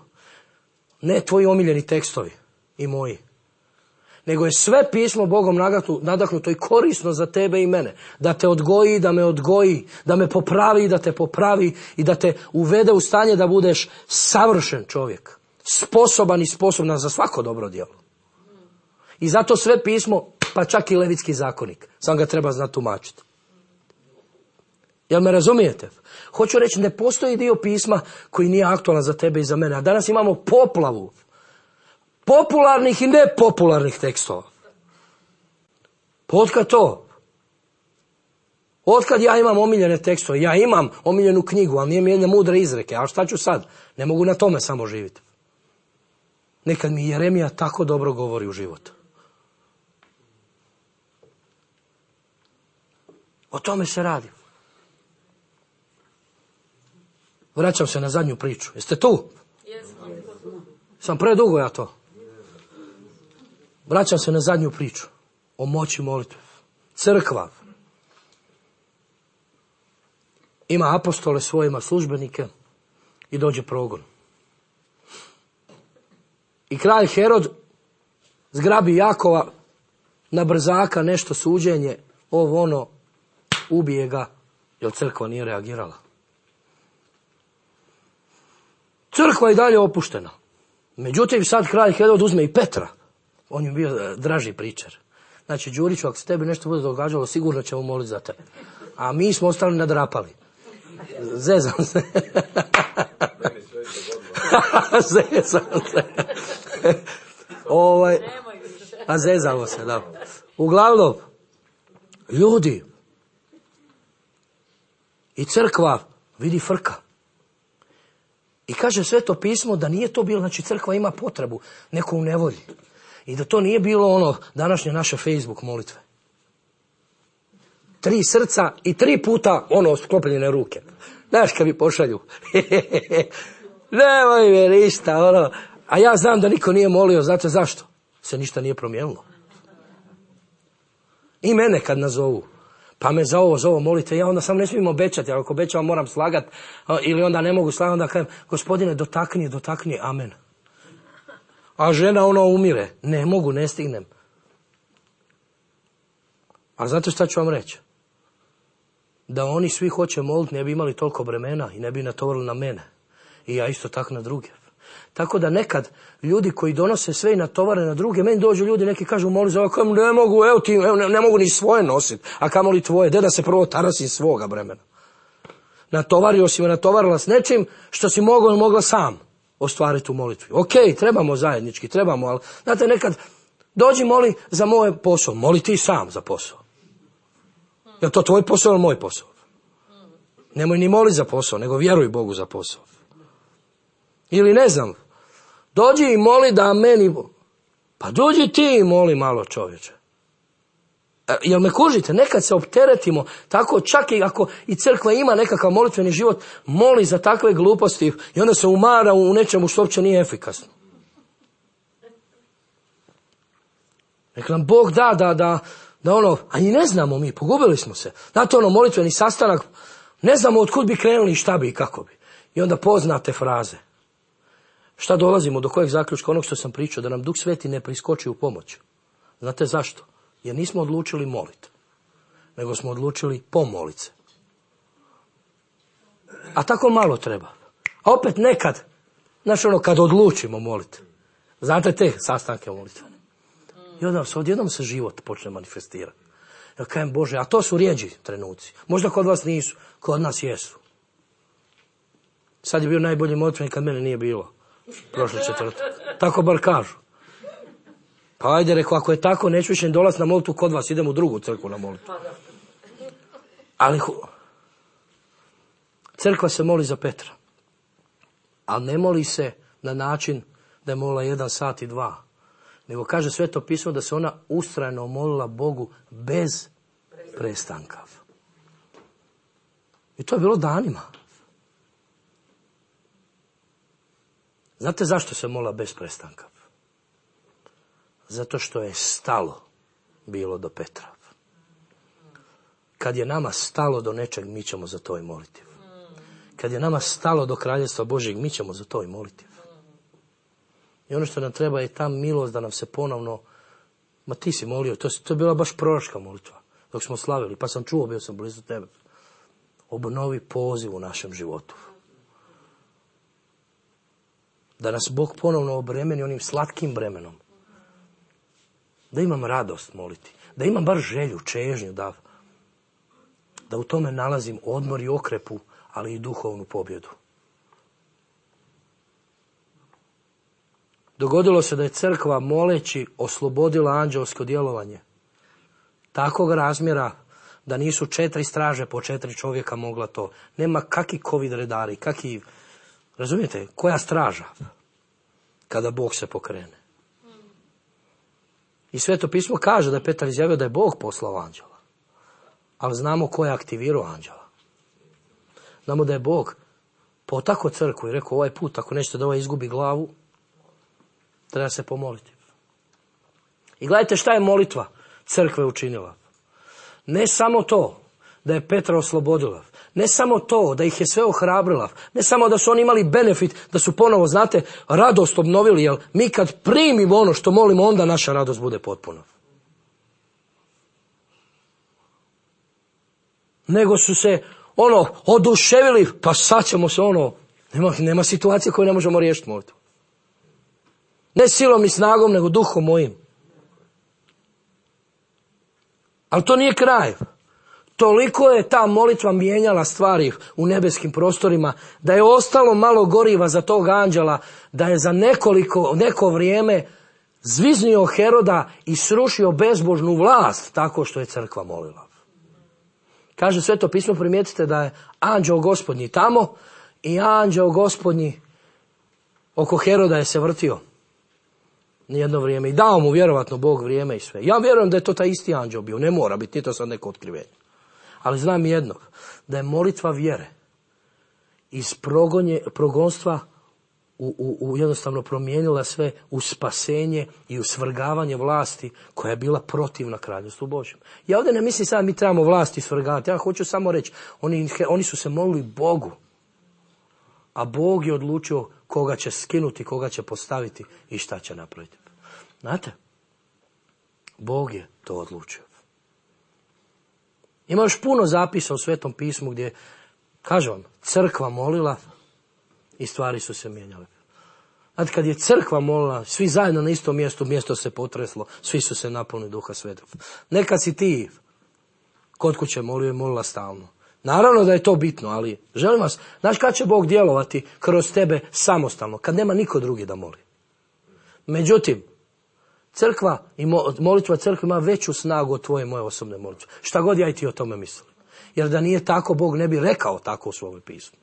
Ne tvoji omiljeni tekstovi i moji. Nego je sve pismo Bogom nadahnuto i korisno za tebe i mene. Da te odgoji, da me odgoji, da me popravi, da te popravi i da te uvede u stanje da budeš savršen čovjek. Sposoban i sposobna za svako dobro djelo. I zato sve pismo, pa čak i Levitski zakonik, sam ga treba znati tumačiti. Jel me razumijete? Hoću reći, ne postoji dio pisma koji nije aktualan za tebe i za mene. A danas imamo poplavu popularnih i nepopularnih tekstova. Pa otkad to? Otkad ja imam omiljene tekstove? Ja imam omiljenu knjigu, ali nije mi jedne mudre izreke. A šta ću sad? Ne mogu na tome samo živjeti. Nekad mi Jeremija tako dobro govori u životu. O tome se radi. Vraćam se na zadnju priču. Jeste tu? Sam predugo ja to. Vraćam se na zadnju priču. O moći molitve. Crkva ima apostole svojima, službenike i dođe progon. I kralj Herod zgrabi Jakova na brzaka, nešto suđenje, ovo ono, ubije ga, jer crkva nije reagirala. Crkva je i dalje opuštena. Međutim, sad kralj Herod uzme i Petra. On je bio draži pričar. Znači, Đuriću, ako se tebi nešto bude događalo, sigurno ćemo moliti za tebe. A mi smo ostali nadrapali. Zezam se. Zezam se. ovaj, a zezamo se, da. Uglavnom, ljudi i crkva vidi frka. I kaže Sveto pismo da nije to bilo, znači crkva ima potrebu, neko u nevolji. I da to nije bilo ono današnje naše Facebook molitve. Tri srca i tri puta ono sklopljene ruke. Znaš kad mi pošalju. Nemoj me ništa, ono. A ja znam da niko nije molio, znate zašto? Se ništa nije promijenilo. I mene kad nazovu. Pa me za ovo, za ovo molite. Ja onda sam ne smijem obećati, ali ako obećavam moram slagati, ili onda ne mogu slagati, onda kažem, Gospodine, dotakni, dotakni, amen. A žena ono umire. Ne mogu, ne stignem. A znate šta ću vam reći? Da oni svi hoće moliti, ne bi imali toliko bremena i ne bi natovarili na mene. I ja isto tako na druge. Tako da nekad ljudi koji donose sve i natovare na druge, meni dođu ljudi, neki kažu moli za ovo, kažem, ne mogu, evo ti, evo, ne, ne mogu ni svoje nositi, a kamoli tvoje, de da se prvo tarasim svoga bremena. Natovario si me, natovarila s nečim što si mogao ili mogla sam ostvariti u molitvi. Ok, trebamo zajednički, trebamo, ali znate nekad dođi moli za moj posao, moli ti sam za posao. Je to tvoj posao ili moj posao? Nemoj ni moli za posao, nego vjeruj Bogu za posao. Ili ne znam, dođi i moli da meni, pa dođi ti i moli malo čovječe. E, jel me kužite? Nekad se opteretimo, tako čak i ako i crkva ima nekakav molitveni život, moli za takve gluposti i onda se umara u nečemu što uopće nije efikasno. Nek nam Bog da, da, da, da ono, a i ne znamo mi, pogubili smo se. Znate ono molitveni sastanak, ne znamo otkud bi krenuli i šta bi i kako bi. I onda poznate fraze. Šta dolazimo, do kojeg zaključka onog što sam pričao, da nam Duh Sveti ne priskoči u pomoć. Znate zašto? Jer nismo odlučili moliti, nego smo odlučili pomolit se. A tako malo treba. A opet nekad, znaš ono, kad odlučimo moliti, znate te sastanke molitvene. I onda se odjednom se život počne manifestirati. Ja kažem, Bože, a to su rijeđi trenuci. Možda kod vas nisu, kod nas jesu. Sad je bio najbolji molitveni kad mene nije bilo. Prošle četvrtak. Tako bar kažu. Pa ajde, rekao, ako je tako, neću više dolaz na molitvu kod vas, idem u drugu crkvu na molitvu. Ali crkva se moli za Petra. Ali ne moli se na način da je molila jedan sat i dva. Nego kaže Sveto pismo da se ona ustrajno molila Bogu bez prestanka. I to je bilo danima. Znate zašto se molila bez prestanka? Zato što je stalo bilo do Petra. Kad je nama stalo do nečeg, mi ćemo za to i moliti. Kad je nama stalo do Kraljevstva Božjeg, mi ćemo za to i moliti. I ono što nam treba je ta milost da nam se ponovno, ma ti si molio, to, to je bila baš proročka molitva, dok smo slavili, pa sam čuo, bio sam blizu tebe. Obnovi poziv u našem životu. Da nas Bog ponovno obremeni onim slatkim bremenom. Da imam radost moliti. Da imam bar želju, čežnju, da, da u tome nalazim odmor i okrepu, ali i duhovnu pobjedu. Dogodilo se da je crkva moleći oslobodila anđelsko djelovanje. Takvog razmjera da nisu četiri straže po četiri čovjeka mogla to. Nema kakvi covid redari, kakvi, razumijete, koja straža kada Bog se pokrene. I Sveto pismo kaže da je Petar izjavio da je Bog poslao anđela. Ali znamo ko je aktivirao anđela. Znamo da je Bog potakao crkvu i rekao ovaj put, ako nećete da ovaj izgubi glavu, treba se pomoliti. I gledajte šta je molitva crkve učinila. Ne samo to da je Petra oslobodila, ne samo to da ih je sve ohrabrila, ne samo da su oni imali benefit, da su ponovo, znate, radost obnovili, jer mi kad primimo ono što molimo, onda naša radost bude potpuna. Nego su se, ono, oduševili, pa sad ćemo se, ono, nema, nema situacije koju ne možemo riješiti molitvu. Ne silom i snagom, nego duhom mojim. Ali to nije kraj. Toliko je ta molitva mijenjala stvari u nebeskim prostorima, da je ostalo malo goriva za tog anđela, da je za nekoliko, neko vrijeme zviznio Heroda i srušio bezbožnu vlast tako što je crkva molila. Kaže Sveto pismo, primijetite da je anđeo Gospodnji tamo i anđeo Gospodnji oko Heroda je se vrtio nijedno vrijeme i dao mu vjerovatno Bog vrijeme i sve. Ja vjerujem da je to taj isti anđeo bio, ne mora biti, nije to sad neko otkrivenje. Ali znam jednog, da je molitva vjere iz progonje, progonstva u, u, u jednostavno promijenila sve u spasenje i u svrgavanje vlasti koja je bila protivna kraljevstvu Božjem. Ja ovdje ne mislim sad mi trebamo vlasti svrgavati. Ja hoću samo reći, oni, oni su se molili Bogu. A Bog je odlučio koga će skinuti, koga će postaviti i šta će napraviti. Znate, Bog je to odlučio. Ima još puno zapisa u Svetom pismu gdje, kažem vam, crkva molila i stvari su se mijenjale. Znate, kad je crkva molila, svi zajedno na istom mjestu, mjesto se potreslo, svi su se napunili Duha Svetog. Neka si ti kod kuće molio i molila stalno. Naravno da je to bitno, ali želim vas, znaš kad će Bog djelovati kroz tebe samostalno, kad nema niko drugi da moli. Međutim, crkva i molitva crkve ima veću snagu od tvoje moje osobne molitve. Šta god ja i ti o tome mislim. Jer da nije tako, Bog ne bi rekao tako u svome pismu.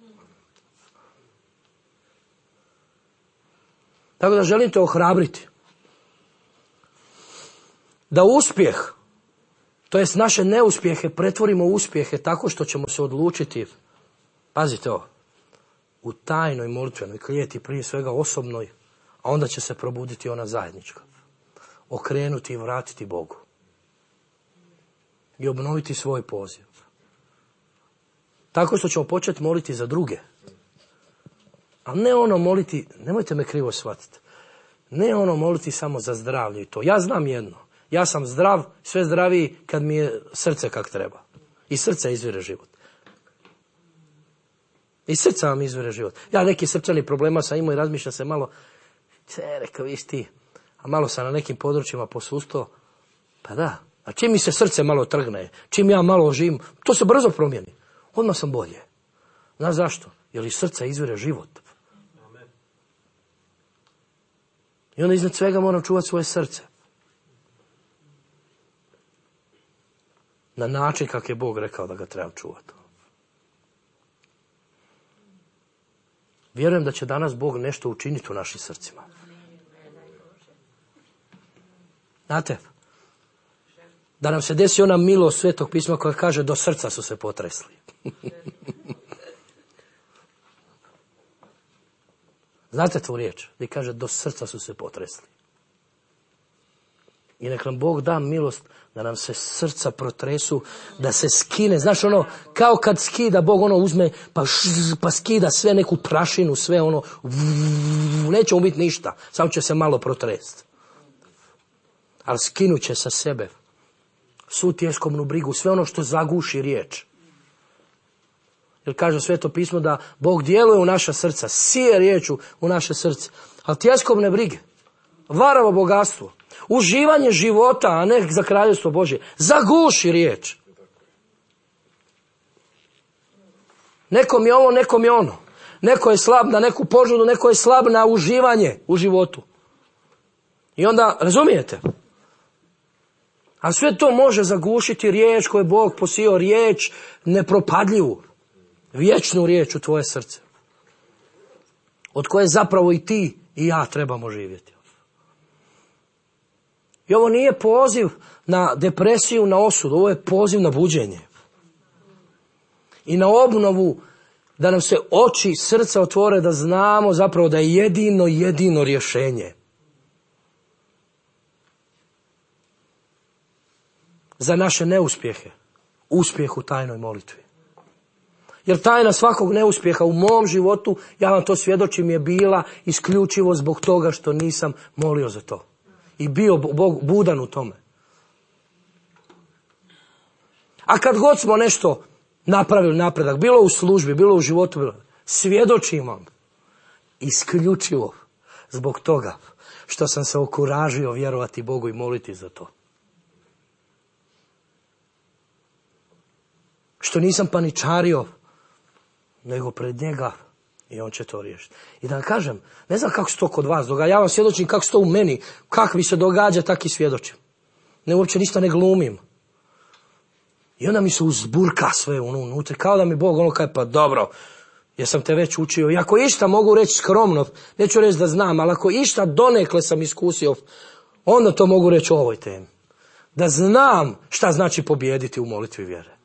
Tako da želim te ohrabriti. Da uspjeh, to jest naše neuspjehe, pretvorimo u uspjehe tako što ćemo se odlučiti, pazite ovo, u tajnoj molitvenoj klijeti, prije svega osobnoj, a onda će se probuditi ona zajednička. Okrenuti i vratiti Bogu. I obnoviti svoj poziv. Tako što ćemo početi moliti za druge. A ne ono moliti, nemojte me krivo shvatiti, ne ono moliti samo za zdravlje i to. Ja znam jedno. Ja sam zdrav, sve zdraviji kad mi je srce kak treba. I srce izvire život. I srca vam izvire život. Ja neki srčani problema sam imao i razmišljam se malo, se rekao, viš ti, a malo sam na nekim područjima posustao. Pa da, a čim mi se srce malo trgne, čim ja malo oživim, to se brzo promijeni. Odmah sam bolje. Znaš zašto? Jer iz srca izvire život. I onda iznad svega moram čuvati svoje srce. Na način kak je Bog rekao da ga trebam čuvati. Vjerujem da će danas Bog nešto učiniti u našim srcima. Znate, da nam se desi ona milost Svetog pisma koja kaže do srca su se potresli. Znate tu riječ? Gdje kaže do srca su se potresli. I nek nam Bog da milost da nam se srca protresu, da se skine. Znaš ono, kao kad skida Bog ono uzme pa, šz, pa skida sve neku prašinu, sve ono, vv, neće mu biti ništa, samo će se malo protresti. Ali skinut će sa sebe svu tjeskomnu brigu, sve ono što zaguši riječ. Jer kaže Sveto pismo da Bog djeluje u naša srca, sije riječu u naše srce. Ali tjeskomne brige, varavo bogatstvo, uživanje života, a ne za kraljevstvo Božje, zaguši riječ. Nekom je ovo, nekom je ono. Neko je slab na neku požudu, neko je slab na uživanje u životu. I onda, razumijete? A sve to može zagušiti riječ koju je Bog posijao, riječ nepropadljivu, vječnu riječ u tvoje srce. Od koje zapravo i ti i ja trebamo živjeti. I ovo nije poziv na depresiju, na osudu, ovo je poziv na buđenje. I na obnovu, da nam se oči srca otvore, da znamo zapravo da je jedino, jedino rješenje za naše neuspjehe, uspjeh u tajnoj molitvi. Jer tajna svakog neuspjeha u mom životu, ja vam to svjedočim, je bila isključivo zbog toga što nisam molio za to. I bio Bog budan u tome. A kad god smo nešto napravili napredak, bilo u službi, bilo u životu, bilo, svjedočim vam isključivo zbog toga što sam se okuražio vjerovati Bogu i moliti za to. Što nisam paničario, nego pred njega i on će to riješiti. I da vam kažem, ne znam kako se to kod vas događa, ja vam svjedočim kako se to u meni, kako mi se događa, tako i svjedočim. Ne, uopće ništa ne glumim. I onda mi se uzburka sve ono unutra, kao da mi Bog ono kaže, pa dobro, jer sam te već učio. I ako išta mogu reći skromno, neću reći da znam, ali ako išta donekle sam iskusio, onda to mogu reći o ovoj temi. Da znam šta znači pobijediti u molitvi vjere.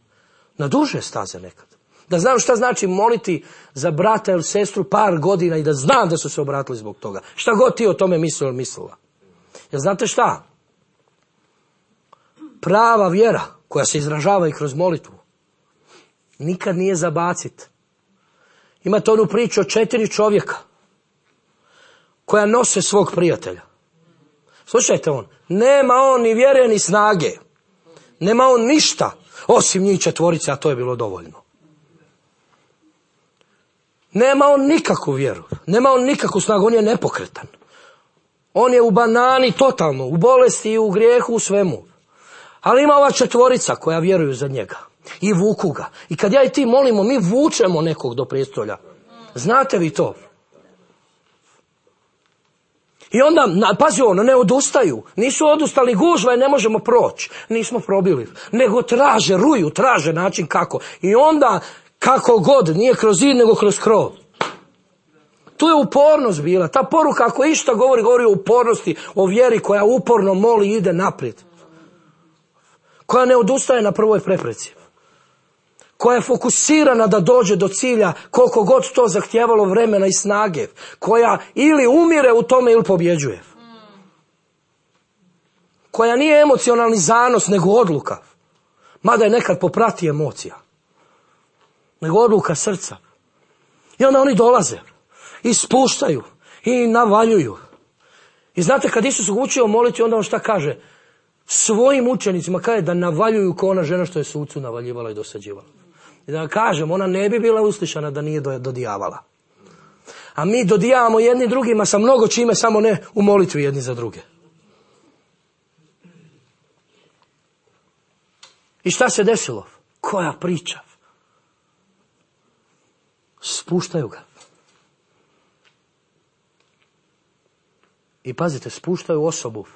Na duže staze nekad. Da znam šta znači moliti za brata ili sestru par godina i da znam da su se obratili zbog toga. Šta god ti o tome mislio ili mislila. Jer znate šta? Prava vjera koja se izražava i kroz molitvu nikad nije za bacit. Imate onu priču o četiri čovjeka koja nose svog prijatelja. Slušajte on, nema on ni vjere ni snage. Nema on ništa osim njih četvorice, a to je bilo dovoljno. Nema on nikakvu vjeru, nema on nikakvu snagu, on je nepokretan. On je u banani totalno, u bolesti i u grijehu, u svemu. Ali ima ova četvorica koja vjeruju za njega i vuku ga. I kad ja i ti molimo, mi vučemo nekog do prijestolja. Znate vi to? I onda, pazi ono, ne odustaju. Nisu odustali, gužva i ne možemo proći. Nismo probili. Nego traže, ruju, traže način kako. I onda, kako god, nije kroz zid, nego kroz krov. Tu je upornost bila. Ta poruka, ako išta govori, govori o upornosti, o vjeri koja uporno moli i ide naprijed. Koja ne odustaje na prvoj prepreci. Koja je fokusirana da dođe do cilja koliko god to zahtijevalo vremena i snage. Koja ili umire u tome ili pobjeđuje. Koja nije emocionalni zanos nego odluka. Mada je nekad poprati emocija. Nego odluka srca. I onda oni dolaze. I spuštaju. I navaljuju. I znate kad Isus učio moliti, onda on šta kaže? Svojim učenicima kaže da navaljuju kao ona žena što je sucu navaljivala i dosađivala. I da kažem, ona ne bi bila uslišana da nije dodijavala. A mi dodijavamo jedni drugima sa mnogo čime, samo ne u molitvi jedni za druge. I šta se desilo? Koja priča? Spuštaju ga. I pazite, spuštaju osobu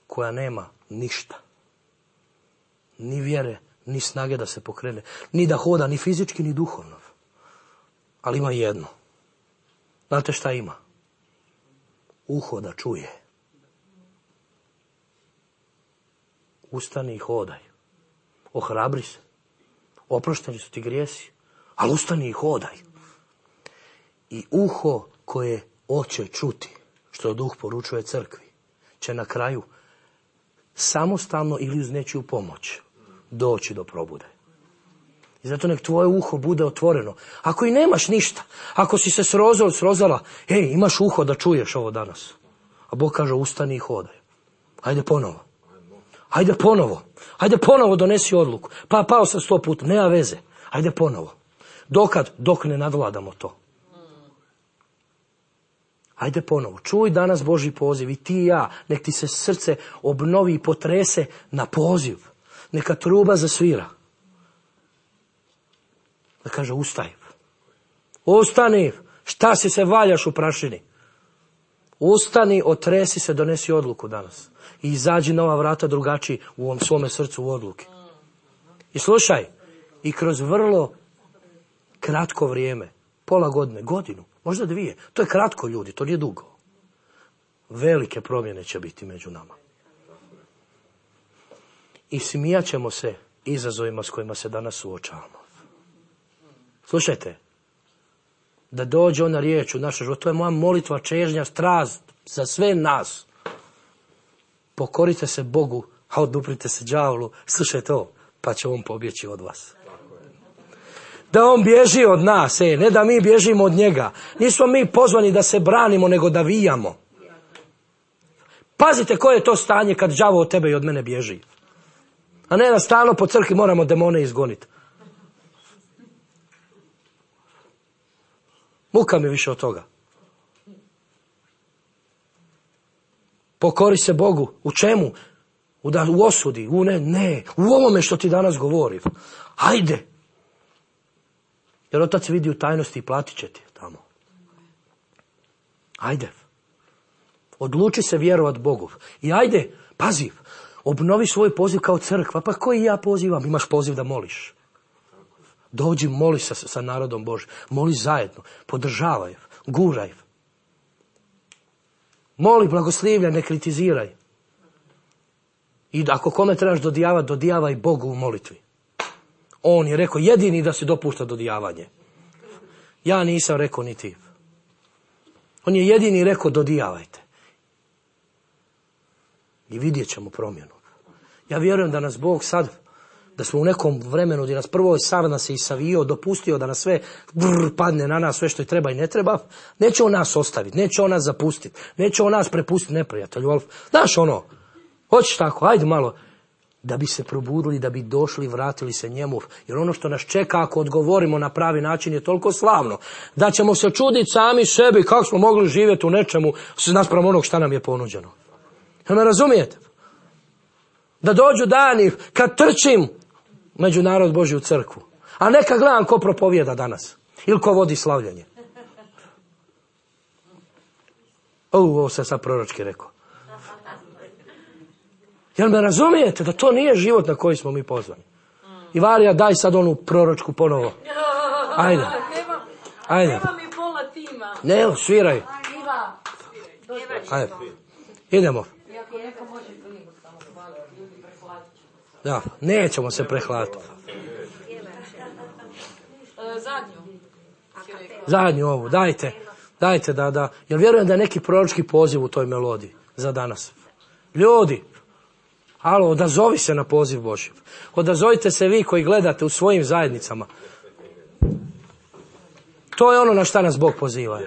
koja nema ništa. Ni vjere, ni snage da se pokrene. Ni da hoda, ni fizički, ni duhovno. Ali ima jedno. Znate šta ima? Uho da čuje. Ustani i hodaj. Ohrabri se. Oprošteni su ti grijesi. Ali ustani i hodaj. I uho koje hoće čuti, što Duh poručuje crkvi, će na kraju samostalno ili uz nečiju pomoć doći do probude. I zato nek tvoje uho bude otvoreno. Ako i nemaš ništa, ako si se srozao, srozala, ej, imaš uho da čuješ ovo danas. A Bog kaže, ustani i hodaj. Hajde ponovo. Hajde ponovo. Hajde ponovo donesi odluku. Pa pao sam sto puta, nema veze. Hajde ponovo. Dokad? Dok ne nadvladamo to. Hajde ponovo. Čuj danas Božji poziv i ti i ja. Nek ti se srce obnovi i potrese na poziv. Neka truba zasvira. Da kaže, ustaj. Ustani. Šta si se valjaš u prašini? Ustani, otresi se, donesi odluku danas. I izađi na ova vrata drugačiji u ovom svome srcu u odluki. I slušaj, i kroz vrlo kratko vrijeme, pola godine, godinu, možda dvije, to je kratko ljudi, to nije dugo. Velike promjene će biti među nama. I smijat ćemo se izazovima s kojima se danas suočavamo. Slušajte, da dođe ona riječ u naš život, to je moja molitva, čežnja, strast za sve nas. Pokorite se Bogu, a oduprite se đavolu. Slušajte ovo, pa će on pobjeći od vas. Da on bježi od nas, e, ne da mi bježimo od njega. Nismo mi pozvani da se branimo, nego da vijamo. Pazite koje je to stanje kad đavo od tebe i od mene bježi. A ne da stalno po crkvi moramo demone izgoniti. Muka mi više od toga. Pokori se Bogu. U čemu? U, da, u osudi. U ne, ne. U ovome što ti danas govori. Hajde. Jer Otac vidi u tajnosti i platit će ti tamo. Hajde. Odluči se vjerovat Bogu. I ajde, pazi, obnovi svoj poziv kao crkva. Pa koji ja pozivam? Imaš poziv da moliš. Dođi, moli sa, sa narodom Božim. Moli zajedno. Podržavaj. Guraj. Moli, blagoslivljaj, ne kritiziraj. I ako kome trebaš dodijavat, dodijavaj Bogu u molitvi. On je rekao jedini da se dopušta dodijavanje. Ja nisam rekao ni ti. On je jedini rekao dodijavajte. I vidjet ćemo promjenu. Ja vjerujem da nas Bog sad, da smo u nekom vremenu gdje nas prvo sav nas je isavio, dopustio da nas sve brr, padne na nas, sve što je treba i ne treba, neće on nas ostaviti, neće on nas zapustiti, neće on nas prepustiti neprijatelju. Ali, znaš ono, hoćeš tako, ajde malo, da bi se probudili, da bi došli, vratili se njemu. Jer ono što nas čeka ako odgovorimo na pravi način je toliko slavno, da ćemo se čuditi sami sebi kako smo mogli živjeti u nečemu naspram onog šta nam je ponuđeno. Jel me razumijete? Da dođu dani kad trčim među narod Božji u crkvu. A neka gledam ko propovijeda danas. Ili ko vodi slavljenje. O, ovo sam sad proročki rekao. Jel me razumijete da to nije život na koji smo mi pozvani? Ivarija, daj sad onu proročku ponovo. Ajde. Ajde. Nema mi pola tima. Ne, sviraj. Ajde. Idemo. Da, nećemo se prehlatiti. Zadnju. Zadnju ovu, dajte. Dajte da, da. Jer vjerujem da je neki proročki poziv u toj melodiji za danas. Ljudi, alo, odazovi se na poziv Božji. Odazovite se vi koji gledate u svojim zajednicama. To je ono na šta nas Bog poziva.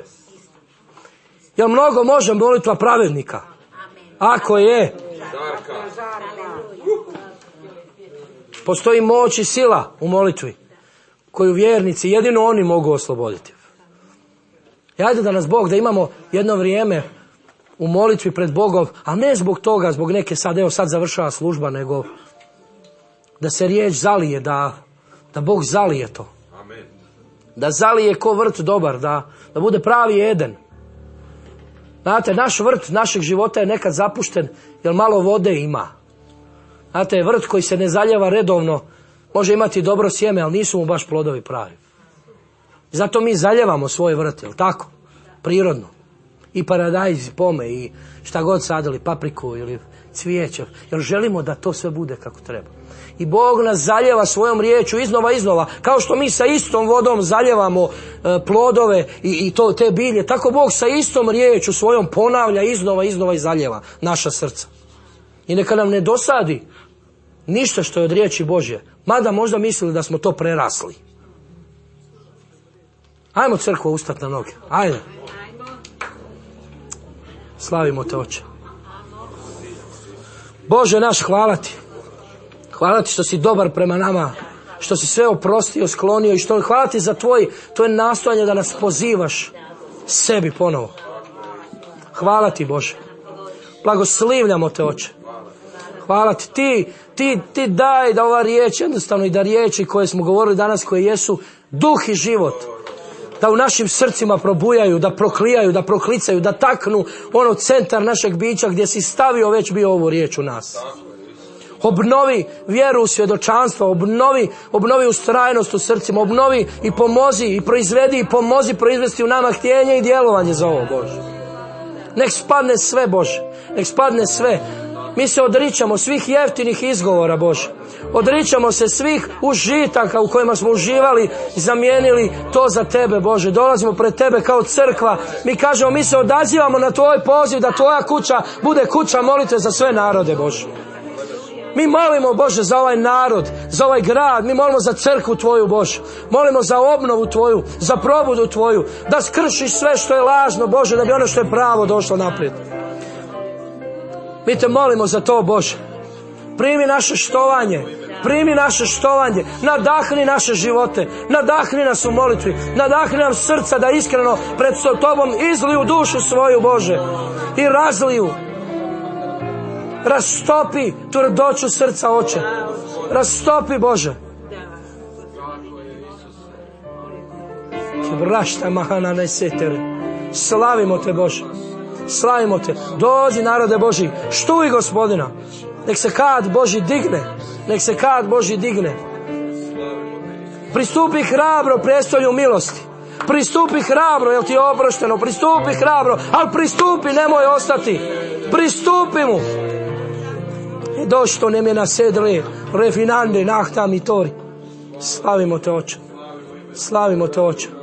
Jel mnogo može molitva pravednika? Ako je. Postoji moć i sila u molitvi koju vjernici, jedino oni mogu osloboditi. I ajde da nas Bog, da imamo jedno vrijeme u molitvi pred Bogom, a ne zbog toga, zbog neke sad, evo sad završava služba, nego da se riječ zalije, da, da Bog zalije to. Amen. Da zalije ko vrt dobar, da, da bude pravi Eden. Znate, naš vrt našeg života je nekad zapušten, jer malo vode ima. Znate, vrt koji se ne zaljeva redovno, može imati dobro sjeme, ali nisu mu baš plodovi pravi. Zato mi zaljevamo svoj vrt, jel tako? Prirodno. I paradajz, i pome, i šta god sadili, papriku ili cvijeće. Jer želimo da to sve bude kako treba. I Bog nas zaljeva svojom riječu iznova iznova. Kao što mi sa istom vodom zaljevamo e, plodove i, i to, te bilje. Tako Bog sa istom riječu svojom ponavlja iznova iznova i zaljeva naša srca. I neka nam ne dosadi ništa što je od riječi Božje. Mada možda mislili da smo to prerasli. Ajmo crkvo ustati na noge. Ajde. Slavimo te, Oče. Bože naš, hvala ti. Hvala ti što si dobar prema nama. Što si sve oprostio, sklonio i što hvala ti za tvoj, tvoje nastojanje da nas pozivaš sebi ponovo. Hvala ti, Bože. Blagoslivljamo te, Oče. Hvala ti. Ti, ti, ti daj da ova riječ, jednostavno i da riječi koje smo govorili danas, koje jesu duh i život, da u našim srcima probujaju, da proklijaju, da proklicaju, da taknu ono centar našeg bića gdje si stavio već bio ovu riječ u nas. Obnovi vjeru u svjedočanstvo, obnovi, obnovi ustrajnost u srcima, obnovi i pomozi i proizvedi i pomozi proizvesti u nama htjenje i djelovanje za ovo, Bože. Nek spadne sve, Bože, nek spadne sve. Mi se odričamo svih jeftinih izgovora, Bože. Odričamo se svih užitaka u kojima smo uživali i zamijenili to za tebe, Bože. Dolazimo pred tebe kao crkva. Mi kažemo, mi se odazivamo na tvoj poziv da tvoja kuća bude kuća molitve za sve narode, Bože. Mi molimo, Bože, za ovaj narod, za ovaj grad. Mi molimo za crkvu tvoju, Bože. Molimo za obnovu tvoju, za probudu tvoju. Da skršiš sve što je lažno, Bože, da bi ono što je pravo došlo naprijed. Mi te molimo za to, Bože. Primi naše štovanje. Primi naše štovanje. Nadahni naše živote. Nadahni nas u molitvi. Nadahni nam srca da iskreno pred tobom izliju dušu svoju, Bože. I razliju. Rastopi tvrdoću srca, Oče. Rastopi, Bože. Vrašta mahana nesetere. Slavimo te, Bože. Slavimo te. Dođi, narode Boži. Štuj Gospodina. Nek se kad Boži digne. Nek se kad Boži digne. Pristupi hrabro prestolju milosti. Pristupi hrabro, jel ti je oprošteno. Pristupi hrabro, ali pristupi, nemoj ostati. Pristupi mu. E došto ne me nasedre refinande nahta mi tori. Slavimo te, Oče. Slavimo te, Oče.